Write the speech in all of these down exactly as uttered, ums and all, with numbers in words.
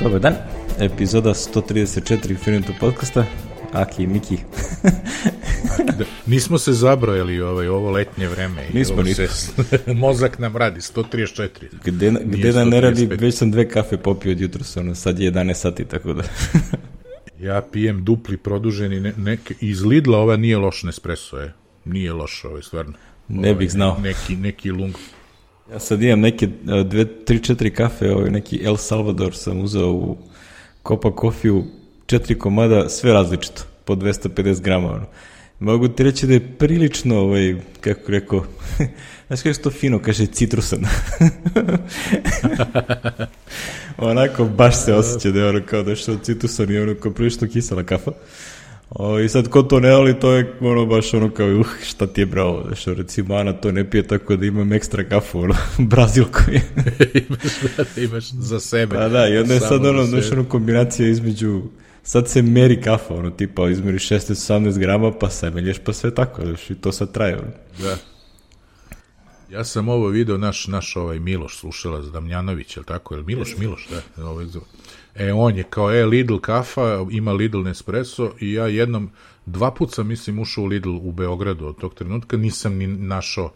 Dobar dan, epizoda sto trideset četiri Infinito podcasta, Aki i Miki. Da, nismo se zabrojali ovaj, ovo letnje vreme. Nismo, nismo. Se, mozak nam radi, sto trideset četiri. Gde, gde da ne radi, već sam dve kafe popio od jutros, ono, sad je jedanaest sati, tako da... Ja pijem dupli produženi, ne, neke, iz Lidla ova nije loš Nespresso, je. Nije loš, ovaj, stvarno. Ne bih znao. Ne, neki, neki lung. Ja sad imam neke dve, tri, četiri kafe, ovaj, neki El Salvador sam uzeo u Copa Coffee-u, četiri komada, sve različito, po dvesta pedeset grama, ono. Mogu ti reći da je prilično, ovaj, kako rekao, znaš kako je to fino, kaže citrusan. Onako, baš se osjeća da je ono kao da što citrusan i ono kao prilično kisela kafa. O, i sad ko to ne voli, to je ono baš ono kao, uh, šta ti je bravo, da što recimo Ana to ne pije tako da imam ekstra kafu, ono, brazilko je. imaš, da, imaš za sebe. Pa da, i onda je sad ono, znaš, ono kombinacija između, sad se meri kafa, ono, tipa izmeri šesnaest osamnaest grama, pa se melješ, pa sve tako, znaš, i to sad traje, ono. Da. Ja sam ovo video, naš, naš ovaj Miloš, slušalac Damljanović, je li tako, je li Miloš, Miloš, da, ovaj, e, on je kao, e, Lidl kafa, ima Lidl Nespresso i ja jednom, dva put sam, mislim, ušao u Lidl u Beogradu od tog trenutka, nisam ni našao uh,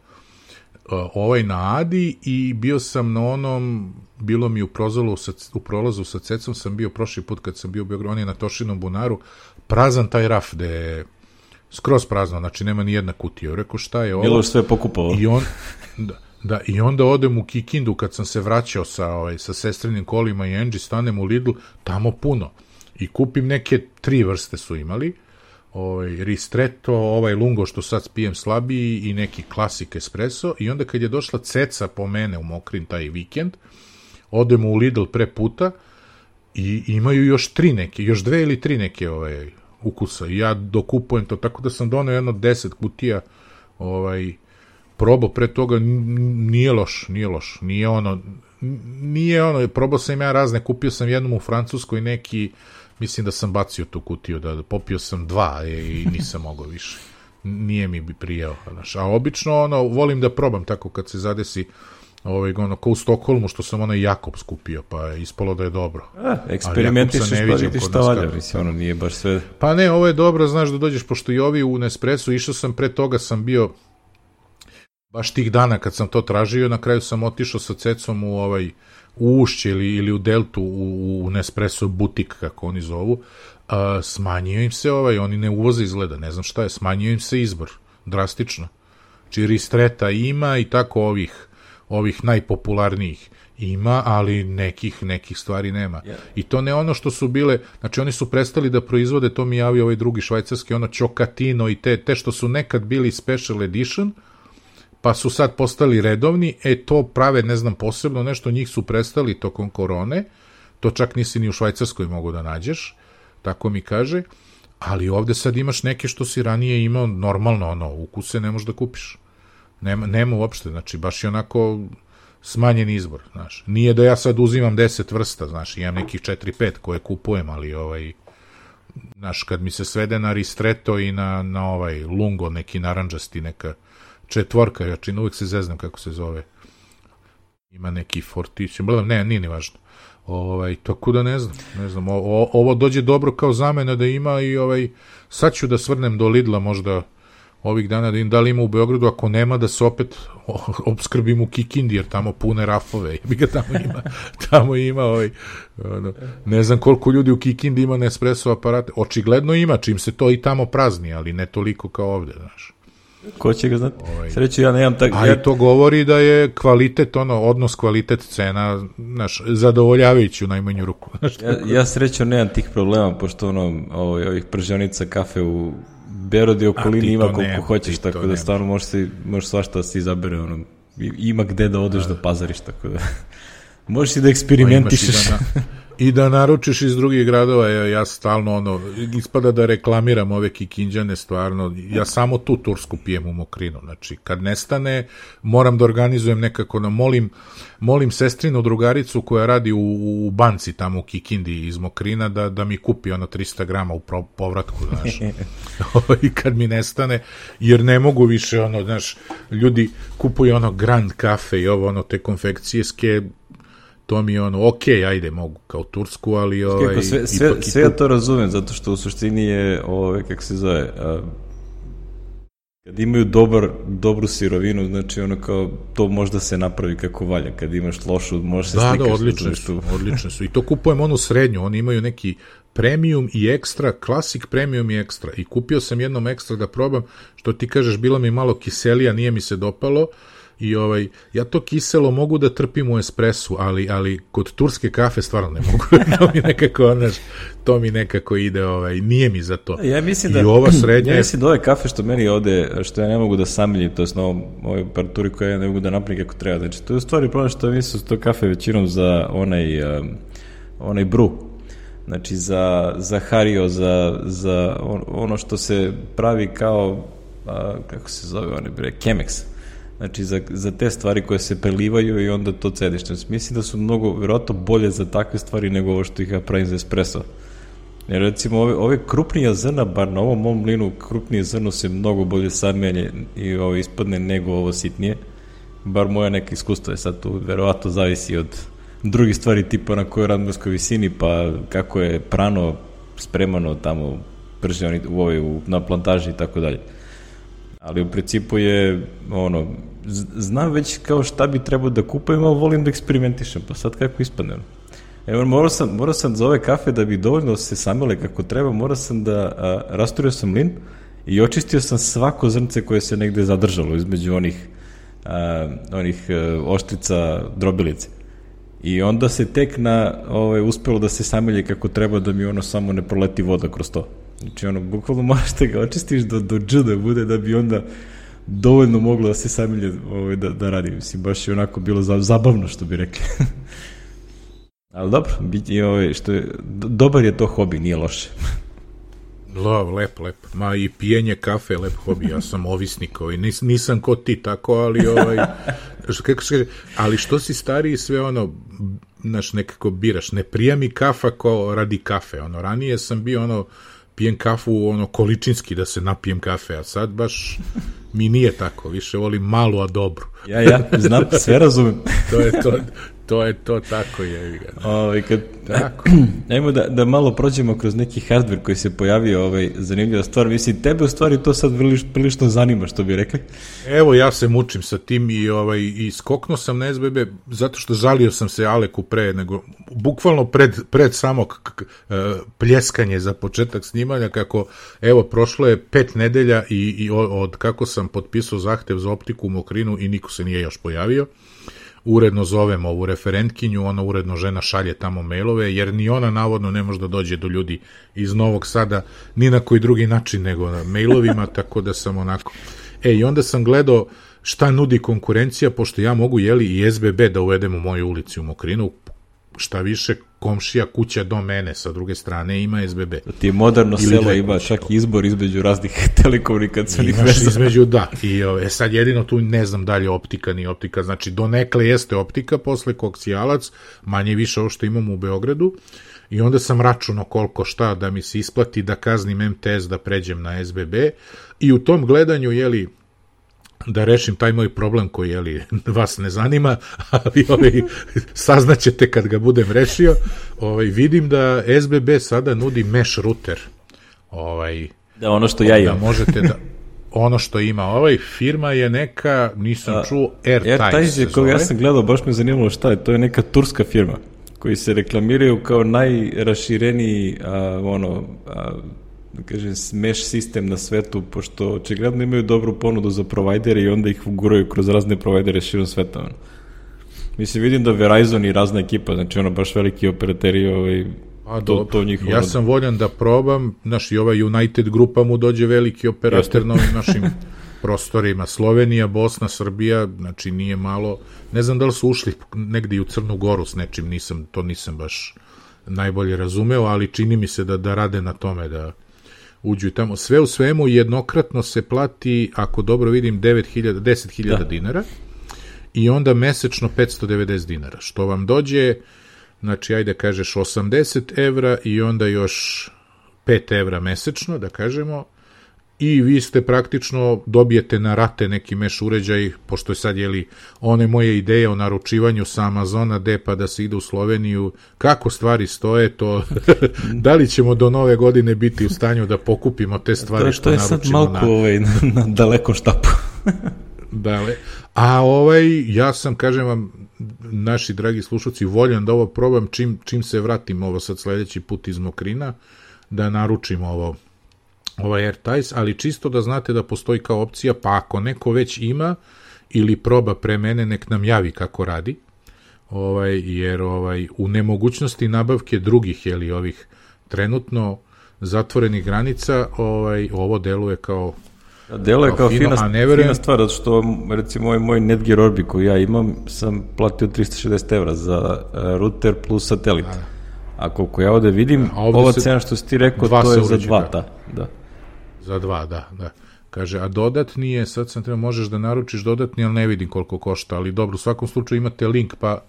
ovaj na Adi i bio sam na onom, bilo mi u prolazu sa, u prolazu sa Cecom, sam bio prošli put kad sam bio u Beogradu, on je na Tošinom bunaru, prazan taj raf, gde je skroz prazno, znači nema ni jedna kutija. Rekao, šta je ovo? Miloš sve pokupovao. I on, da, da, i onda odem u Kikindu kad sam se vraćao sa, ovaj, sa sestrinim kolima i Angie, stanem u Lidl, tamo puno. I kupim neke tri vrste su imali, ovaj, ristretto, ovaj lungo što sad pijem slabiji i neki klasik espresso. I onda kad je došla Ceca po mene u Mokrin taj vikend, odemo u Lidl pre puta i imaju još tri neke, još dve ili tri neke ovaj, ukusa i ja dokupujem to, tako da sam donao jedno deset kutija ovaj, probao pre toga, nije loš, nije loš, nije ono, nije ono, probao sam ja razne, kupio sam jednom u Francuskoj neki, mislim da sam bacio tu kutiju, da, da popio sam dva i nisam mogao više, nije mi bi prijao, znaš, a obično ono, volim da probam tako kad se zadesi, ovaj, ono, ko u Stokholmu, što sam ono Jakobs kupio, pa je ispalo da je dobro. A, eksperimentišeš pa vidiš šta valja, mislim, ono nije baš sve... Pa ne, ovo je dobro, znaš da dođeš, pošto i ovi u Nespresso, išao sam, pre toga sam bio, baš tih dana kad sam to tražio, na kraju sam otišao sa Cecom u ovaj, u Ušće ili, ili u Deltu, u, u Nespresso butik, kako oni zovu, a, smanjio im se ovaj, oni ne uvoze izgleda, ne znam šta je, smanjio im se izbor, drastično. Či ristreta ima i tako ovih ovih najpopularnijih ima, ali nekih nekih stvari nema. Yeah. I to ne ono što su bile, znači oni su prestali da proizvode, to mi javio ovaj drugi švajcarski, ono Chocatino i te, te što su nekad bili special edition, pa su sad postali redovni, e to prave, ne znam, posebno nešto, njih su prestali tokom korone, to čak nisi ni u Švajcarskoj mogu da nađeš, tako mi kaže, ali ovde sad imaš neke što si ranije imao, normalno, ono, ukuse ne možeš da kupiš. Nema, nema uopšte, znači baš je onako smanjen izbor, znaš. Nije da ja sad uzimam deset vrsta, znaš, imam nekih četiri pet koje kupujem, ali ovaj, znaš, kad mi se svede na ristretto i na, na ovaj lungo, neki naranđasti, neka četvorka, ja čin uvijek se zeznam kako se zove, ima neki fortić, ne, nije ni važno. Ovaj, tako da ne znam, ne znam, o, o, ovo dođe dobro kao zamena da ima i ovaj, sad ću da svrnem do Lidla možda ovih dana da im da li ima u Beogradu, ako nema da se opet opskrbim u Kikindi, jer tamo pune rafove, ga tamo ima, tamo ima ovaj, ono, ne znam koliko ljudi u Kikindi ima Nespresso aparate, očigledno ima, čim se to i tamo prazni, ali ne toliko kao ovde, znaš. Ko će ga znati? Ovaj. Sreću, ja nemam tako... A ja... i to govori da je kvalitet, ono, odnos kvalitet cena, znaš, zadovoljavajući u najmanju ruku. Znaš, ja, ja sreću nemam tih problema, pošto ono, ovaj, ovih pržionica kafe u Beogradu i okolini ima koliko nema, hoćeš, tako da nemaš. Stvarno možeš, si, možeš svašta da se izabere, ono, ima gde da odeš da pazariš, tako da možeš i da eksperimentišeš. I da naručiš iz drugih gradova, ja, ja stalno ono, ispada da reklamiram ove Kikinđane, stvarno, ja samo tu tursku pijem u Mokrinu, znači kad nestane, moram da organizujem nekako, no, molim, molim sestrinu drugaricu koja radi u, u banci tamo u Kikindi iz Mokrina da, da mi kupi ono trista grama u pro, povratku, znaš, i kad mi nestane, jer ne mogu više, ono, znaš, ljudi kupuju ono Grand Cafe i ovo, ono, te konfekcijske, to mi je ono, ok, ajde, mogu kao tursku, ali... Ovaj, kako, sve, sve, ipak, sve ja to razumem, zato što u suštini je, ove, kako se zove, a, kad imaju dobar, dobru sirovinu, znači ono kao, to možda se napravi kako valja, kad imaš lošu, možeš se da, slikaš. Da, odlične su, odlične su. I to kupujem onu srednju, oni imaju neki premium i ekstra, klasik premium i ekstra. I kupio sam jednom ekstra da probam, što ti kažeš, bilo mi malo kiselija, nije mi se dopalo, i ovaj, ja to kiselo mogu da trpim u espresu, ali, ali kod turske kafe stvarno ne mogu. to mi nekako, znaš, to mi nekako ide, ovaj, nije mi za to. Ja mislim I da, ova srednja... Ja mislim da ove kafe što meni ovde, što ja ne mogu da samiljim, to je na ovoj aparaturi koje ja ne mogu da napravim kako treba. Znači, to je u stvari problem što mislim su to kafe većinom za onaj, um, onaj bru. Znači, za, za Hario, za, za on, ono što se pravi kao, a, kako se zove, one bre, Chemex. Znači, za, za te stvari koje se prelivaju i onda to cediš. Znači, mislim da su mnogo, vjerojatno, bolje za takve stvari nego ovo što ih ja pravim za espresso. Jer, recimo, ove, ove krupnije zrna, bar na ovom mom mlinu, krupnije zrno se mnogo bolje samelje i ovo ispadne nego ovo sitnije. Bar moja neka iskustva je sad tu, vjerojatno, zavisi od drugih stvari tipa na kojoj radmarskoj visini, pa kako je prano spremano tamo prže u ovoj, u, na plantaži i tako dalje. Ali u principu je, ono, znam već kao šta bi trebao da kupujem, ali volim da eksperimentišem, pa sad kako ispadne. Evo, morao sam, morao sam za ove kafe da bi dovoljno se samele kako treba, morao sam da a, rasturio sam mlin i očistio sam svako zrnce koje se negde zadržalo između onih, a, onih a, oštrica drobilice. I onda se tek na, ovaj, uspelo da se samelje kako treba da mi ono samo ne proleti voda kroz to. Znači, ono, bukvalno moraš da ga očistiš do, do dž da bude, da bi onda dovoljno moglo da se samelje ovaj, da, da radi. Mislim, baš je onako bilo zabavno, što bi rekli. Ali dobro, biti, ovaj, što je, dobar je to hobi, nije loše. Lo, lep, lep. Ma i pijenje kafe, lep hobi. Ja sam ovisnik, ovaj. Nis, nisam ko ti tako, ali ovaj, kako se kaže, ali što si stariji, sve ono, znaš, nekako biraš. Ne prija mi kafa ko radi kafe. Ono, ranije sam bio ono, pijem kafu ono količinski da se napijem kafe, a sad baš mi nije tako, više volim malu, a dobru. Ja, ja, znam, sve razumem. to je to, to je to, tako je. Ovaj, kad, tako. Ajmo da, da malo prođemo kroz neki hardware koji se pojavio, ovaj, zanimljiva stvar, mislim, tebe u stvari to sad prilično zanima, što bi rekli. Evo, ja se mučim sa tim i, ovaj, i skoknuo sam na es be be, zato što žalio sam se Aleku pre, nego, bukvalno pred, pred samo k, k, pljeskanje za početak snimanja, kako, evo, prošlo je pet nedelja i, i od kako sam potpisao zahtev za optiku u Mokrinu i niko se nije još pojavio. Uredno zovem ovu referentkinju, ona uredno žena šalje tamo mailove, jer ni ona navodno ne može da dođe do ljudi iz Novog Sada ni na koji drugi način nego na mailovima, tako da sam onako... E, i onda sam gledao šta nudi konkurencija, pošto ja mogu, jeli, i es be be da uvedem u moju ulici u Mokrinu, šta više, komšija kuća do mene, sa druge strane ima es be be. Ti je moderno selo, ima čak izbor između raznih telekomunikacijnih veza. Između, da. I e, sad jedino tu ne znam dalje optika, ni optika, znači donekle jeste optika, posle koksijalac, manje više ovo što imamo u Beogradu, i onda sam računao koliko šta da mi se isplati da kaznim em te es da pređem na es be be, i u tom gledanju, jeli, da rešim taj moj problem koji, jeli, vas ne zanima, ali ovaj, saznaćete kad ga budem rešio, ovaj, vidim da es be be sada nudi mesh router. Ovaj, da, ono što ja imam. Da možete da, ono što ima ovaj, firma je neka, nisam A, čuo, AirTight. AirTight je, koga ja sam gledao, baš me zanimalo šta je, to je neka turska firma, koji se reklamiraju kao najrašireniji, a, ono, a, da kažem, mesh sistem na svetu, pošto očigledno imaju dobru ponudu za provajdere i onda ih uguraju kroz razne provajdere širom sveta. Ono. Mislim, vidim da Verizon i razna ekipa, znači ono baš veliki operateri, ovaj, A, to, to njihovo... Ja sam voljan da probam, znaš, i ova United grupa mu dođe veliki operator na ovim našim prostorima, Slovenija, Bosna, Srbija, znači nije malo, ne znam da li su ušli negdje u Crnu Goru s nečim, nisam, to nisam baš najbolje razumeo, ali čini mi se da, da rade na tome, da uđu i tamo. Sve u svemu jednokratno se plati, ako dobro vidim, devet hiljada, deset hiljada dinara i onda mesečno petsto devedeset dinara, što vam dođe, znači, ajde kažeš osamdeset evra i onda još pet evra mesečno, da kažemo, i vi ste praktično dobijete na rate neki meš uređaj, pošto je sad, jeli, one moje ideje o naručivanju sa Amazona D pa da se ide u Sloveniju, kako stvari stoje, to da li ćemo do nove godine biti u stanju da pokupimo te stvari to, što naručimo. To je sad malko na, ovaj, na, na dalekom štapu. Dale. A ovaj, ja sam, kažem vam, naši dragi slušalci, voljan da ovo probam čim, čim se vratim ovo sad sledeći put iz Mokrina, da naručim ovo ovaj AirTies, ali čisto da znate da postoji kao opcija, pa ako neko već ima ili proba pre mene, nek nam javi kako radi, ovaj, jer ovaj, u nemogućnosti nabavke drugih, jeli, ovih trenutno zatvorenih granica, ovaj, ovo deluje kao Delo je kao fino, fina, neverujem... fina stvar, zato što recimo ovaj moj Netgear Orbi koji ja imam, sam platio trista šezdeset evra za uh, router plus satelit. Da. A koliko ja ovde vidim, a ovde ova cena što si ti rekao, to je za dva, da. da. Za dva, da, da. Kaže, a dodatni je, sad sam treba, možeš da naručiš dodatni, ali ne vidim koliko košta, ali dobro, u svakom slučaju imate link, pa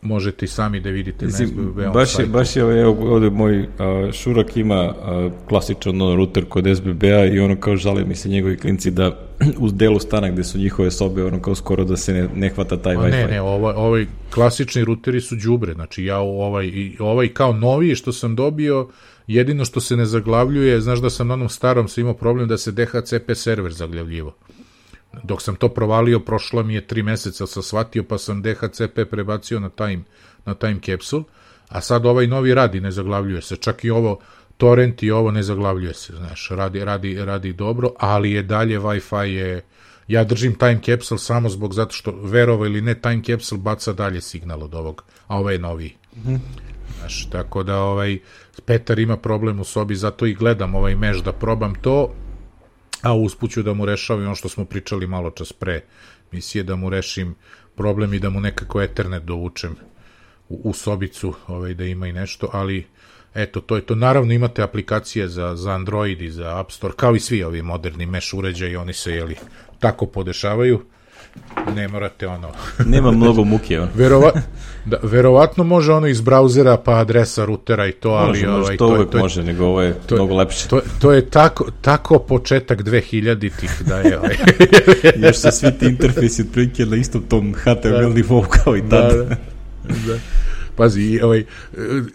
možete i sami da vidite. Zim, na S B B baš, je, baš je ovdje, ovdje moj a, Šurak ima a, klasičan ono, router kod S B B-a i ono kao žale mi se njegovi klinci da uz delu stana gde su njihove sobe ono kao skoro da se ne, ne hvata taj Wi-Fi. Ne, ne, ovaj, ovaj klasični routeri su đubre, znači ja ovaj, ovaj kao noviji što sam dobio, jedino što se ne zaglavljuje, znaš da sam na onom starom sam imao problem da se D H C P server zaglavljivo. Dok sam to provalio, prošlo mi je tri meseca, sam shvatio, pa sam D H C P prebacio na time, na time capsule, a sad ovaj novi radi, ne zaglavljuje se, čak i ovo torrent i ovo ne zaglavljuje se, znaš, radi, radi, radi dobro, ali je dalje Wi-Fi je, ja držim time capsule samo zbog, zato što verovo ili ne, time capsule baca dalje signal od ovog, a ovaj je noviji. Mm-hmm. Znaš, tako da ovaj, Petar ima problem u sobi, zato i gledam ovaj meš da probam to, a uspuću da mu rešavam ono što smo pričali malo čas pre misije, da mu rešim problem i da mu nekako Ethernet dovučem u, u sobicu, ovaj, da ima i nešto, ali eto, to je to. Naravno imate aplikacije za, za Android i za App Store, kao i svi ovi moderni mesh uređaji, oni se, jeli, tako podešavaju. Ne morate ono... Nema mnogo muke, on. Verova, da, verovatno može ono iz brauzera pa adresa routera i to, ali... Može, ovaj, može, to, to uvek to je, može, nego ovo je to, mnogo lepše. To, to je tako, tako početak dvehiljaditih da je... Ovaj. Još se svi ti interfejsi otprilike na istom tom H T M L nivou kao i tada. Da, da, da. Pazi, ovaj,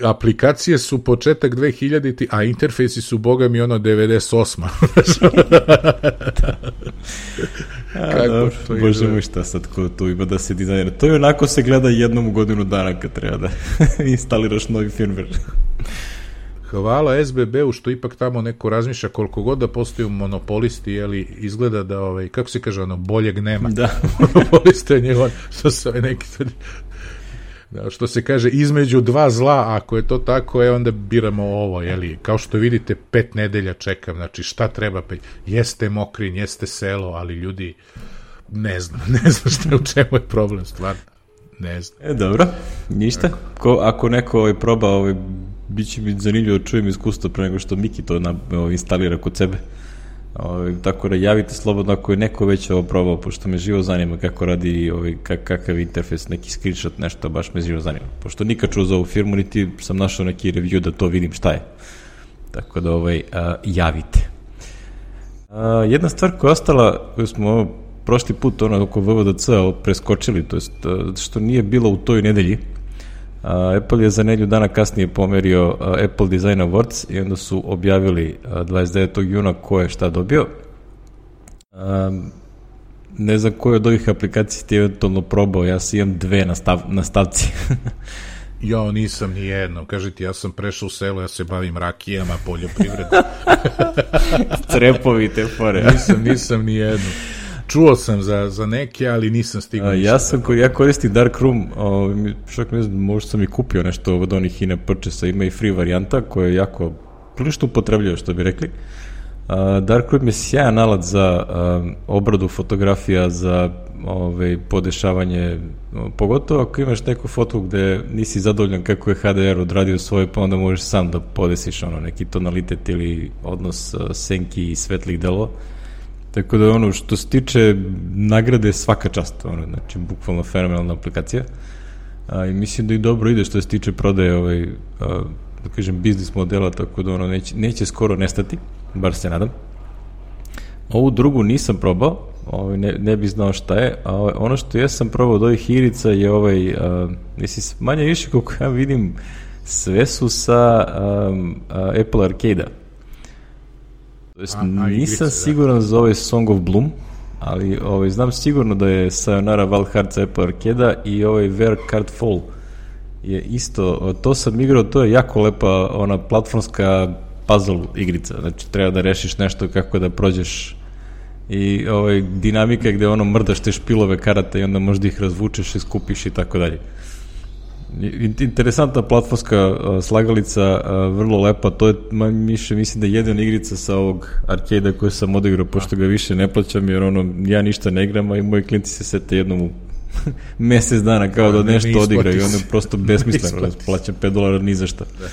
aplikacije su početak dvehiljaditih, a interfejsi su, boga mi, ono devedeset osma Kako to ide? Bože moj, šta sad ko tu ima da se dizajnira. To je onako se gleda jednom u godinu dana kad treba da instaliraš novi firmware. Hvala S B B-u što ipak tamo neko razmišlja, koliko god da postoju monopolisti, jeli, izgleda da, ovaj, kako se kaže, ono, boljeg nema. Da. Monopoliste je njegov, što se ovaj neki... Da, što se kaže, između dva zla, ako je to tako, je onda biramo ovo, jeli, kao što vidite, pet nedelja čekam, znači šta treba, pet, jeste Mokrin, jeste selo, ali ljudi, ne znam, ne znam šta, u čemu je problem, stvarno, ne znam. E, dobro, ništa, Ko, ako neko ovaj, proba, ovaj, bit će mi zanimljivo da čujem iskustvo pre nego što Miki to na, ovaj, instalira kod sebe. Ovaj, tako da javite slobodno ako je neko već ovo probao, pošto me živo zanima kako radi, ovaj, kak, kakav interfejs, neki screenshot, nešto, baš me živo zanima. Pošto nikad čuo za ovu firmu, niti sam našao neki review da to vidim šta je. Tako da ovaj, a, javite. A, jedna stvar koja je ostala, koju smo ovo, prošli put ono, oko V V D C preskočili, to jest što nije bilo u toj nedelji, Uh, Apple je za nedelju dana kasnije pomerio uh, Apple Design Awards i onda su objavili uh, dvadeset devetog juna ko je šta dobio. Uh, ne znam koju od ovih aplikacija ti eventualno probao, ja sam imam dve na, stav, na stavci. Ja nisam ni jedno, kažete, ja sam prešao u selo, ja se bavim rakijama, poljoprivredom. Crepovi te fore. nisam, nisam ni jedno. Čuo sam za, za neke, ali nisam stigao. Ja sam, ko, ja koristim Darkroom, o, čak ne znam, možda sam i kupio nešto od onih in-app purchase-a, ima i free varijanta koja je jako prilično upotrebljava, što bi rekli. A, Darkroom je sjajan alat za a, obradu fotografija, za ove, podešavanje, pogotovo ako imaš neku fotu gde nisi zadovoljan kako je H D R odradio svoje, pa onda možeš sam da podesiš ono, neki tonalitet ili odnos a, senki i svetlih delova. Tako da ono što se tiče nagrade svaka čast, ono, znači bukvalno fenomenalna aplikacija. A, i mislim da i dobro ide što se tiče prodaje ovaj, a, da kažem, biznis modela, tako da ono neće, neće skoro nestati, bar se nadam. Ovu drugu nisam probao, ovaj, ne, ne bi znao šta je, a ovaj, ono što ja sam probao od ovih igrica je ovaj, uh, mislim, manje više kako ja vidim, sve su sa um, uh, Apple Arcade-a. To jest, a, a nisam igrice, siguran da. za ovaj Song of Bloom, ali ovaj, znam sigurno da je Sayonara Wild Hearts Apple Arcade-a i ovaj Where Card Fall je isto, to sam igrao, to je jako lepa ona platformska puzzle igrica, znači treba da rešiš nešto kako da prođeš i ovaj, dinamika gde ono mrdaš te špilove karata i onda možda ih razvučeš i skupiš i tako dalje. Interesantna platformska uh, slagalica, uh, vrlo lepa, to je više, mislim da je jedina igrica sa ovog arcade-a koju sam odigrao, pošto ga više ne plaćam, jer ono, ja ništa ne igram, a i moji klijenti se sete jednom u mesec dana kao da nešto ne odigraju i onda je prosto besmisleno, da plaćam pet dolara ni za šta. Da.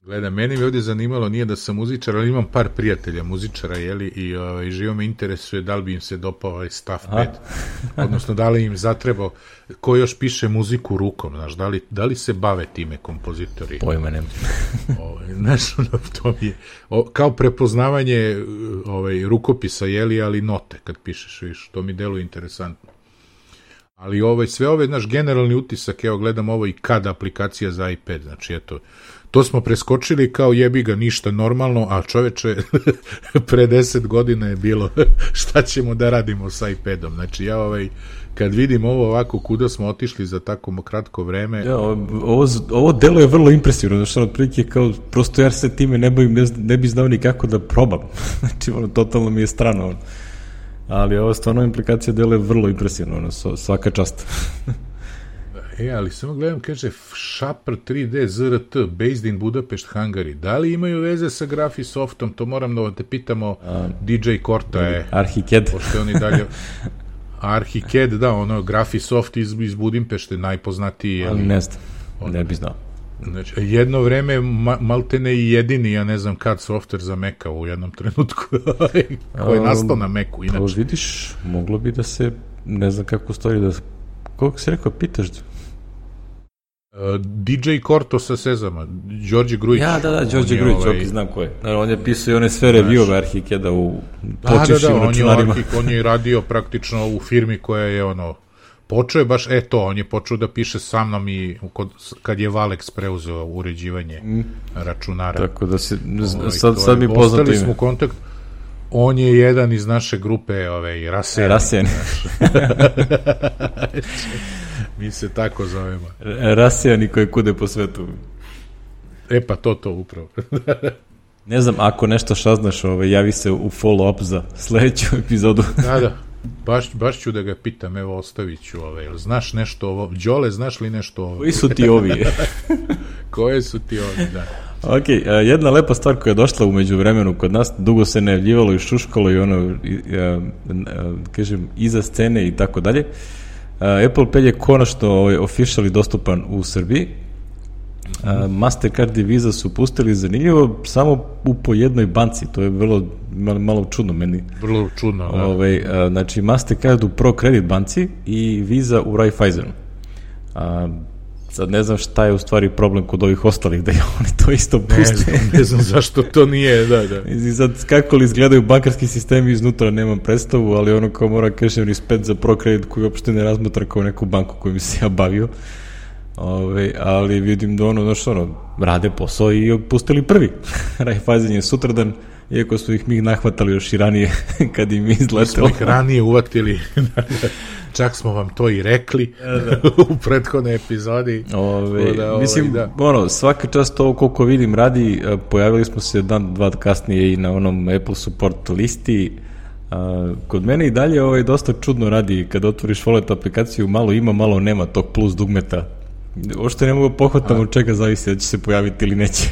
Gleda, meni mi ovdje zanimalo, nije da sam muzičar, ali imam par prijatelja muzičara, jeli, i ovaj, živo me interesuje da li bi im se dopao ovaj stav pet, odnosno da li im zatrebao, ko još piše muziku rukom, znaš, da li, da li se bave time kompozitori? Pojma nema. Ovaj, znaš, ono, to mi je, o, kao prepoznavanje ovaj, rukopisa, jeli, ali note kad pišeš, viš, to mi deluje interesantno. Ali ovaj, sve ove, naš generalni utisak, evo, gledam ovo i kad aplikacija za iPad, znači, eto, to smo preskočili kao jebi ga ništa normalno, a čoveče pre deset godina je bilo šta ćemo da radimo sa iPadom. Znači ja ovaj, kad vidim ovo ovako kuda smo otišli za tako kratko vreme... Ja, ovo, ovo delo je vrlo impresivno, znači ono otprilike kao prosto ja se time ne bavim, ne, ne bi znao ni kako da probam. Znači ono, totalno mi je strano. Ono. Ali ovo stvarno implikacija delo je vrlo impresivno, ono, svaka čast. E, ali samo gledam, kaže Shopper tri D Z R T, based in Budapest, Hungary. Da li imaju veze sa Graphisoftom? To moram da te pitamo, A, D J Korta je... Arhicad. Pošto oni dalje... Arhicad, da, ono, Graphisoft iz, iz Budimpešte, najpoznatiji. Ali ne znam, on, ne bi znao. Znači, jedno vreme ma, maltene i jedini, ja ne znam kad, software za Maca u jednom trenutku, koji je nastao na Macu, inače. To vidiš, moglo bi da se, ne znam kako stvari, da... Koliko si rekao, pitaš? Uh, D J Korto sa Sezama, Đorđe Grujić. Ja, da, da, Đorđe Grujić, ovaj... ok, znam ko je. Naravno, on je pisao i one sve review-ove Arhicada u počešćim da, da, da, računarima. On je, on je radio praktično u firmi koja je ono, počeo je baš, e to, on je počeo da piše sa mnom i kod, kad je Valex preuzeo uređivanje mm. računara. Tako da se, ovaj, sad, sad mi poznato ime. Ostali smo u kontakt, on je jedan iz naše grupe, ovaj, Rasijani. Rasijani. Mi se tako zovemo. Rasijani koji kude po svetu. E pa to, to upravo. Ne znam, ako nešto šaznaš, ovaj, javi se u follow-up za sledeću epizodu. Da, da. Baš, baš ću da ga pitam, evo ostavit ću ovaj, znaš nešto ovo, Đole, znaš li nešto ovo? Koji su ti ovi? Koje su ti ovi, da. Ok, jedna lepa stvar koja je došla umeđu vremenu kod nas, dugo se najavljivalo i šuškalo i ono, kažem, iza scene i tako dalje. Apple Pay je konačno ovaj, officially dostupan u Srbiji. Mastercard i Visa su pustili zanimljivo samo u po jednoj banci, to je vrlo malo, malo čudno meni. Vrlo čudno, da. Ovaj, znači Mastercard u Pro Credit banci i Visa u Raiffeisenu. A, sad ne znam šta je u stvari problem kod ovih ostalih, da je oni to isto puste. Ne znam, ne znam zašto to nije, da, da. I sad kako li izgledaju bankarski sistemi iznutra, nemam predstavu, ali ono kao mora kažem respekt za Pro Credit koji uopšte ne razmatra kao neku banku koju mi se ja bavio. Ove, ali vidim da ono, znaš, ono, rade posao i pustili prvi. Raiffeisen je sutradan, iako su ih mi nahvatali još i ranije kad im izletelo. Mi smo ih ranije uvatili, čak smo vam to i rekli u prethodnoj epizodi. Ove, da, ovaj, mislim, da. Ono, svaka čast ovo koliko vidim radi, pojavili smo se dan, dva kasnije i na onom Apple support listi. A, kod mene i dalje ovaj, dosta čudno radi, kada otvoriš Wallet aplikaciju, malo ima, malo nema tog plus dugmeta. Ošte ne mogu pohvatam od čega zavisi da će se pojaviti ili neće.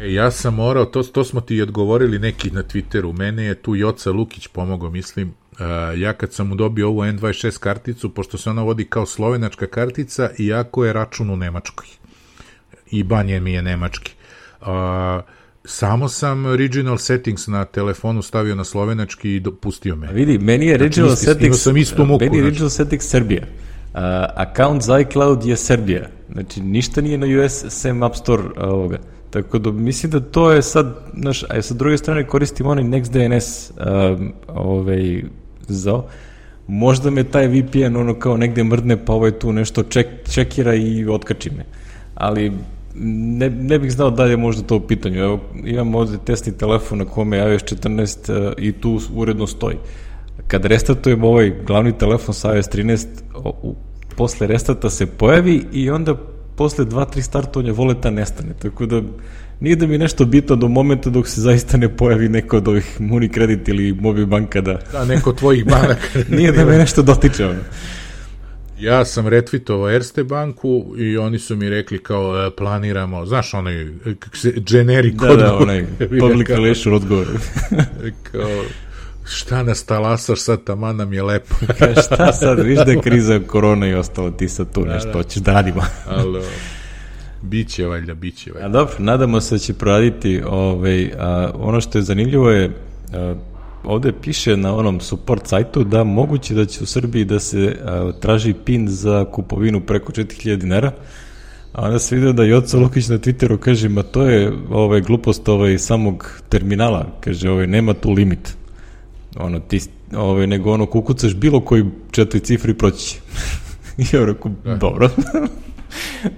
E, ja sam morao, to, to smo ti odgovorili neki na Twitteru, mene je tu Joca Lukić pomogao, mislim, uh, ja kad sam mu dobio ovu N dvadeset šest karticu, pošto se ona vodi kao slovenačka kartica, iako je račun u Nemačkoj. I banje mi je nemački. Uh, samo sam regional settings na telefonu stavio na slovenački i pustio me. A vidi, meni je regional znači, settings, sam istu muku, meni je regional settings Srbija. Uh, account za iCloud je Srbija, znači ništa nije na U S sem App Store uh, ovoga. Tako da mislim da to je sad, znaš, a sa druge strane koristim onaj NextDNS um, ovaj, za možda me taj V P N ono kao negde mrdne, pa ovaj tu nešto ček, čekira i otkači me. Ali ne, ne bih znao da je možda to u pitanju. Evo, imam ovde testni telefon na kome je iOS četrnaest uh, i tu uredno stoji. Kad restartujem ovaj glavni telefon sa iOS trinaest, o, u, posle restata se pojavi i onda posle dva tri startovanja voleta nestane. Tako da nije da mi nešto bitno do momenta dok se zaista ne pojavi neko od ovih Unicredit ili Mobil banka da... Da, neko tvojih banaka. Nije da me nešto dotiče ono. Ja sam retweetovao Erste banku i oni su mi rekli kao e, planiramo, znaš onaj generic da, odgovor. Da, da, onaj public relation odgovor. Kao, šta nas talasaš sad, taman nam je lepo. Ka, šta sad, viš da je kriza korona i ostalo, ti sad tu da, nešto da. Hoćeš da radimo. Alo, biće valjda, biće valjda. A dobro, nadamo se da će proraditi, ovaj, a, ono što je zanimljivo je, a, ovde piše na onom support sajtu da moguće da će u Srbiji da se a, traži pin za kupovinu preko četiri hiljade dinara, a onda se vidio da Joca Lukić na Twitteru kaže, ma to je ovaj, glupost ovaj, samog terminala, kaže, ovaj, nema tu limit. Ono, ti, ovaj, nego ono, kukucaš bilo koji četiri cifri proći će. I ja rekao, da. Dobro.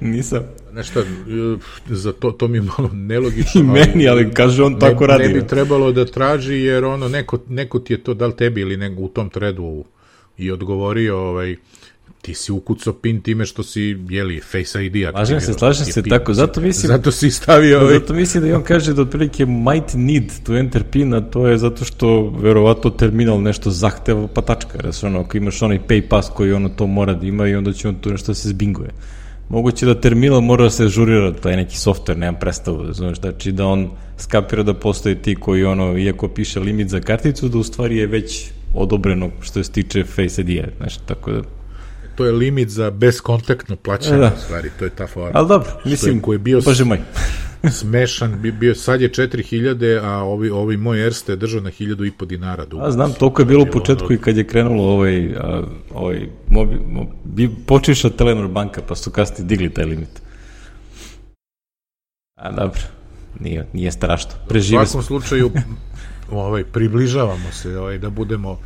Nisam. Nešto, za to, to mi je malo nelogično. I meni, ali, ali kaže on tako ne, radi. Ne bi trebalo da traži, jer ono, neko, neko ti je to, da li tebi ili nego u tom threadu i odgovorio, ovaj, ti si ukucao pin time što si, jeli, Face I D. Slažem se, slažem se, pin. tako, zato mislim... Zato si stavio... Ovaj... Zato mislim da i on kaže da otprilike might need to enter pin, a to je zato što verovatno terminal nešto zahteva, pa tačka, jer ono, ako imaš onaj pay pass koji ono to mora da ima i onda će on tu nešto se zbinguje. Moguće da terminal mora da se ažurira, to je neki software, nemam predstavu, znaš, znači da on skapira da postoje ti koji ono, iako piše limit za karticu, da u stvari je već odobreno što se tiče Face I D-a, znaš, tako da... To je limit za bezkontaktno plaćanje, da. U stvari, to je ta fora. Ali dobro, mislim, koji je bio bože moj. Smešan, bio, sad je četiri hiljade, a ovi, ovi moj Erste je držao na hiljadu i po dinara. Dugo. A znam, toliko je bilo u početku ono... i kad je krenulo ovaj, a, ovaj mobi, mobi, počeša Telenor banka, pa su kasnije digli taj limit. A dobro, nije, nije strašno. Prežive u svakom slučaju, ovaj, približavamo se ovaj, da budemo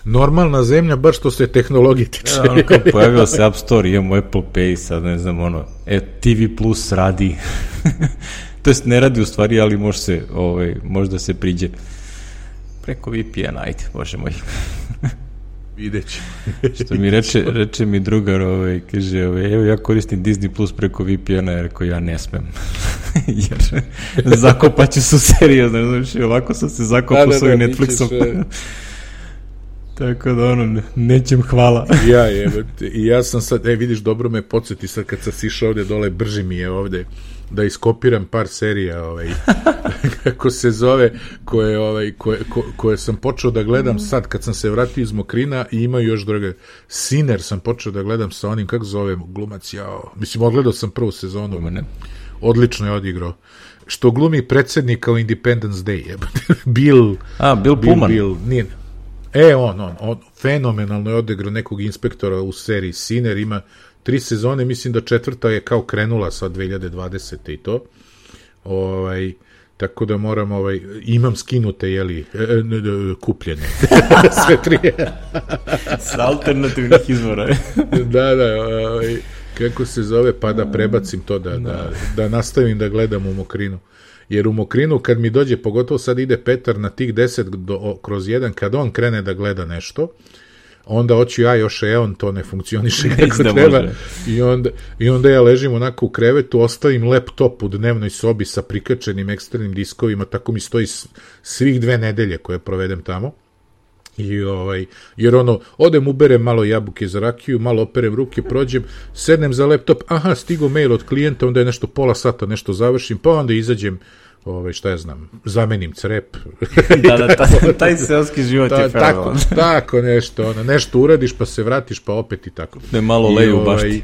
normalna zemlja, baš što se tehnologije tiče. Ja, ono kao pojavio se App Store, imamo Apple Pay, sad ne znam, ono, e, T V Plus radi. To jest ne radi u stvari, ali može se, ovaj, možda se priđe preko V P N, ajde, bože moj. Videći. Što mi reče, reče mi drugar, ovaj, kaže, ovaj, evo ja koristim Disney Plus preko V P N-a, jer rekao, ja ne smem. Jer zakopaću su seriozno, znači, ovako sam se zakopao s ovim Netflixom. Tako da ono, nećem hvala. Ja je, i ja sam sad, e vidiš, dobro me podsjeti sad kad sam sišao ovde dole, brži mi je ovde da iskopiram par serija, ovaj, kako se zove, koje, ovaj, koje, ko, koje sam počeo da gledam sad kad sam se vratio iz Mokrina i imaju još druge. Sinner sam počeo da gledam sa onim, kako zove glumac, jao, mislim, odgledao sam prvu sezonu, Umane. Odlično je odigrao. Što glumi predsjednika u Independence Day, je. Bill, A, Bill, Bill Pullman. Bill, nije, E, on, on, on, fenomenalno je odigrao nekog inspektora u seriji Sinner, ima tri sezone, mislim da četvrta je kao krenula sa dve hiljade dvadesete i to. Ovaj, tako da moram, ovaj, imam skinute, jeli, e, e, kupljene. Sve tri. S alternativnih izvora. Da, da, ovaj, kako se zove, pa da prebacim to, da, da, da nastavim da gledam u Mokrinu. Jer u Mokrinu kad mi dođe, pogotovo sad ide Petar na tih deset do, kroz jedan, kad on krene da gleda nešto, onda hoću ja još, e, on to ne funkcioniše kako ne treba i onda, i onda ja ležim onako u krevetu, ostavim laptop u dnevnoj sobi sa prikačenim eksternim diskovima, tako mi stoji svih dve nedelje koje provedem tamo. I ovaj, jer ono, odem, uberem malo jabuke za rakiju, malo operem ruke, prođem, sednem za laptop, aha, stigo mail od klijenta, onda je nešto pola sata, nešto završim, pa onda izađem, ovaj, šta ja znam, zamenim crep. Da, da, taj, taj seoski život ta, je tako, tako nešto, ono, nešto uradiš, pa se vratiš, pa opet i tako. Ne malo leju baš ti.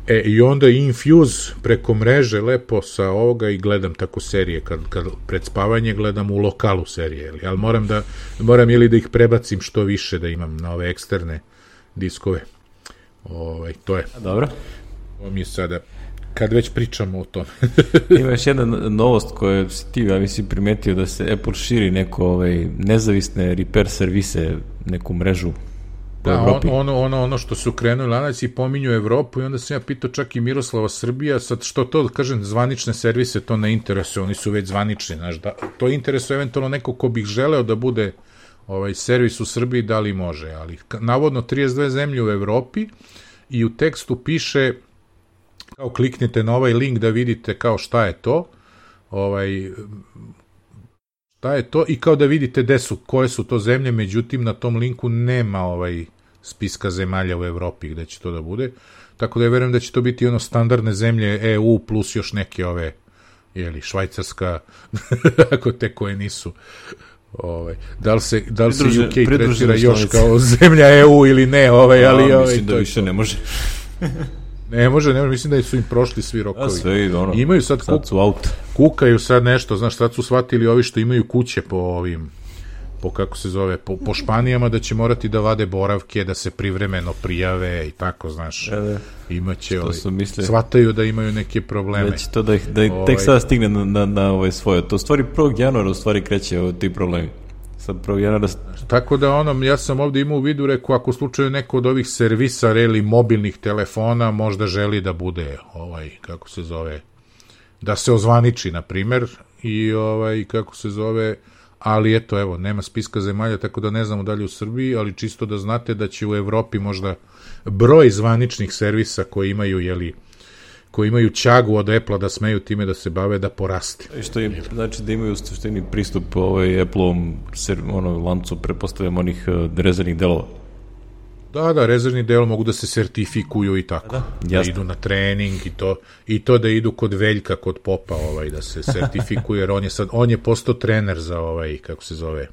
E, i onda Infuse preko mreže lepo sa ovoga i gledam tako serije, kad, kad pred spavanje gledam u lokalu serije, ali, ali moram da, moram ili da ih prebacim što više, da imam na ove eksterne diskove. Ovaj, to je. Dobro. Ovo mi je sada kad već pričamo o tome. Ima još jedna novost koju si ti, ja mislim, primetio da se Apple širi neko ovaj, nezavisne repair servise, neku mrežu po da, Evropi. On, ono, ono, ono što su krenuli lanac i pominju Evropu i onda sam ja pitao čak i Miroslava Srbija, sad što to, kažem, zvanične servise, to ne interesuje, oni su već zvanični, znaš, da, to interesuje eventualno neko ko bih želeo da bude ovaj servis u Srbiji, da li može, ali navodno trideset dve zemlje u Evropi i u tekstu piše kao kliknite na ovaj link da vidite kao šta je to, ovaj, šta je to i kao da vidite gde su, koje su to zemlje, međutim na tom linku nema ovaj spiska zemalja u Evropi gde će to da bude, tako da ja verujem da će to biti ono standardne zemlje E U plus još neke ove, jeli, Švajcarska, ako te koje nisu. Ovaj, da li se, da li se U K tretira još kao zemlja E U ili ne, ovaj, ali A, ovaj, mislim da više ne može. Ne može, ne može, mislim da su im prošli svi rokovi. A sve ide, ono, imaju sad, sad su out. Kukaju sad nešto, znaš, sad su shvatili ovi što imaju kuće po ovim, po kako se zove, po, po Španijama, da će morati da vade boravke, da se privremeno prijave i tako, znaš, ja, da. Imaće, ovaj, mislili, shvataju da imaju neke probleme. Da će to da ih, da ih ovaj, tek sada stigne na, na, na ovaj svoje. To u stvari prvog januara u stvari kreće ovaj, ti problemi. Sad prvog januara... Tako da ono, ja sam ovdje imao u vidu, rekao, ako u slučaju neko od ovih servisa ili mobilnih telefona možda želi da bude, ovaj, kako se zove, da se ozvaniči, na primer, i ovaj, kako se zove, ali eto, evo, nema spiska zemalja, tako da ne znamo dalje u Srbiji, ali čisto da znate da će u Evropi možda broj zvaničnih servisa koji imaju, jeli, koji imaju ćagu od Apple-a da smeju time da se bave, da poraste. Što im, znači da imaju u suštini pristup ovaj Apple-ovom ono, lancu, prepostavljam, onih uh, rezervnih delova. Da, da, rezervni del mogu da se sertifikuju i tako. Da, da idu na trening i to, i to da idu kod Veljka, kod Popa, ovaj, da se sertifikuju, jer on je sad, on je postao trener za ovaj, kako se zove,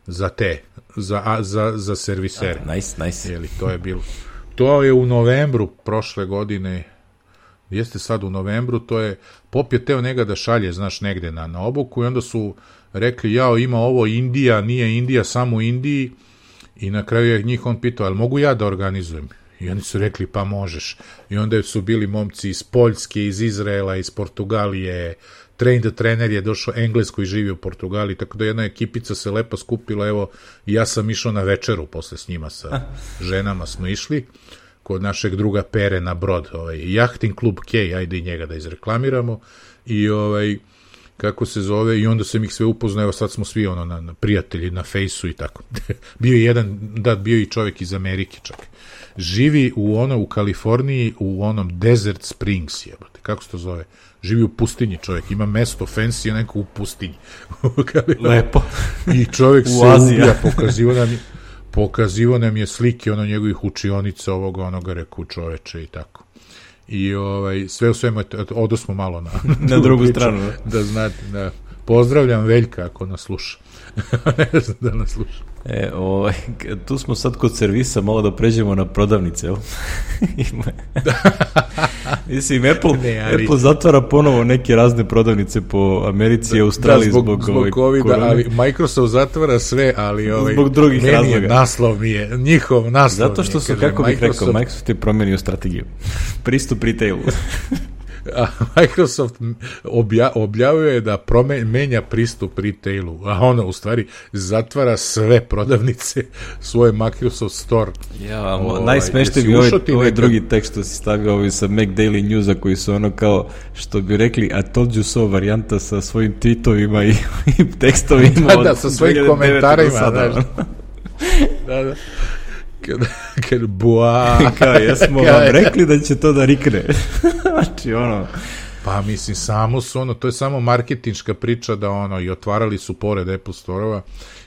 za te, za, a, za, za servisere. Ah, nice, nice. Jeli, to je bilo, to je u novembru prošle godine, jeste sad u novembru, to je, Pop je teo njega da šalje, znaš, negde na, na obuku i onda su rekli, jao, ima ovo Indija, nije Indija, samo u Indiji, i na kraju je njih on pitao, ali mogu ja da organizujem? I oni su rekli, pa možeš. I onda su bili momci iz Poljske, iz Izraela, iz Portugalije, train trener je došao Englesko i živio u Portugaliji, tako da jedna ekipica se lepo skupila, evo, ja sam išao na večeru posle s njima, sa ženama smo išli, kod našeg druga Pere na Brod, ovaj, jahting klub K, ajde i njega da izreklamiramo, i ovaj, kako se zove, i onda sam ih sve upoznao, evo sad smo svi ono, na, na prijatelji, na fejsu i tako. Bio je jedan, da, bio i čovjek iz Amerike čak. Živi u ono, u Kaliforniji, u onom Desert Springs, jebate, kako se to zove? Živi u pustinji čovjek, ima mesto fancy, neko u pustinji. Lepo. I čovjek se ubija, pokazivo nam je, pokazivo nam je slike ono njegovih učionica ovoga, onoga, reku čoveče i tako. I ovaj, sve u svemu, odosmo malo na, na drugu priču, stranu. Da, da znate, da. Pozdravljam Veljka ako nas sluša. Ne znam da nas sluša. E, ovaj, tu smo sad kod servisa, malo da pređemo na prodavnice. Mislim, Apple, ne, ali... Apple zatvara ponovo neke razne prodavnice po Americi i Australiji, da, zbog, zbog, zbog ovaj, COVID-a, ali Microsoft zatvara sve, ali ovaj, zbog drugih meni razloga. Je, naslov mi je, njihov naslov. Zato što su, kaže, kako bih Microsoft... rekao, Microsoft je promenio strategiju. Pristup retailu. A Microsoft obja, objavio da promen, menja pristup retailu, a ono u stvari zatvara sve prodavnice svoje Microsoft Store. Ja, ovaj, najsmešniji je ovaj, ovaj drugi tekst što si stavio ovaj sa Mac Daily Newsa koji su ono kao, što bi rekli, I told you so varijanta sa svojim tweetovima i, i tekstovima. Da, da, sa svojim komentarima. Znaš. Da, da. Kad, kad bua... Kao, jesmo vam rekli da će to da rikne. Znači, ono... Pa, mislim, samo su, ono, to je samo marketinška priča da, ono, i otvarali su pored Apple Store-ova.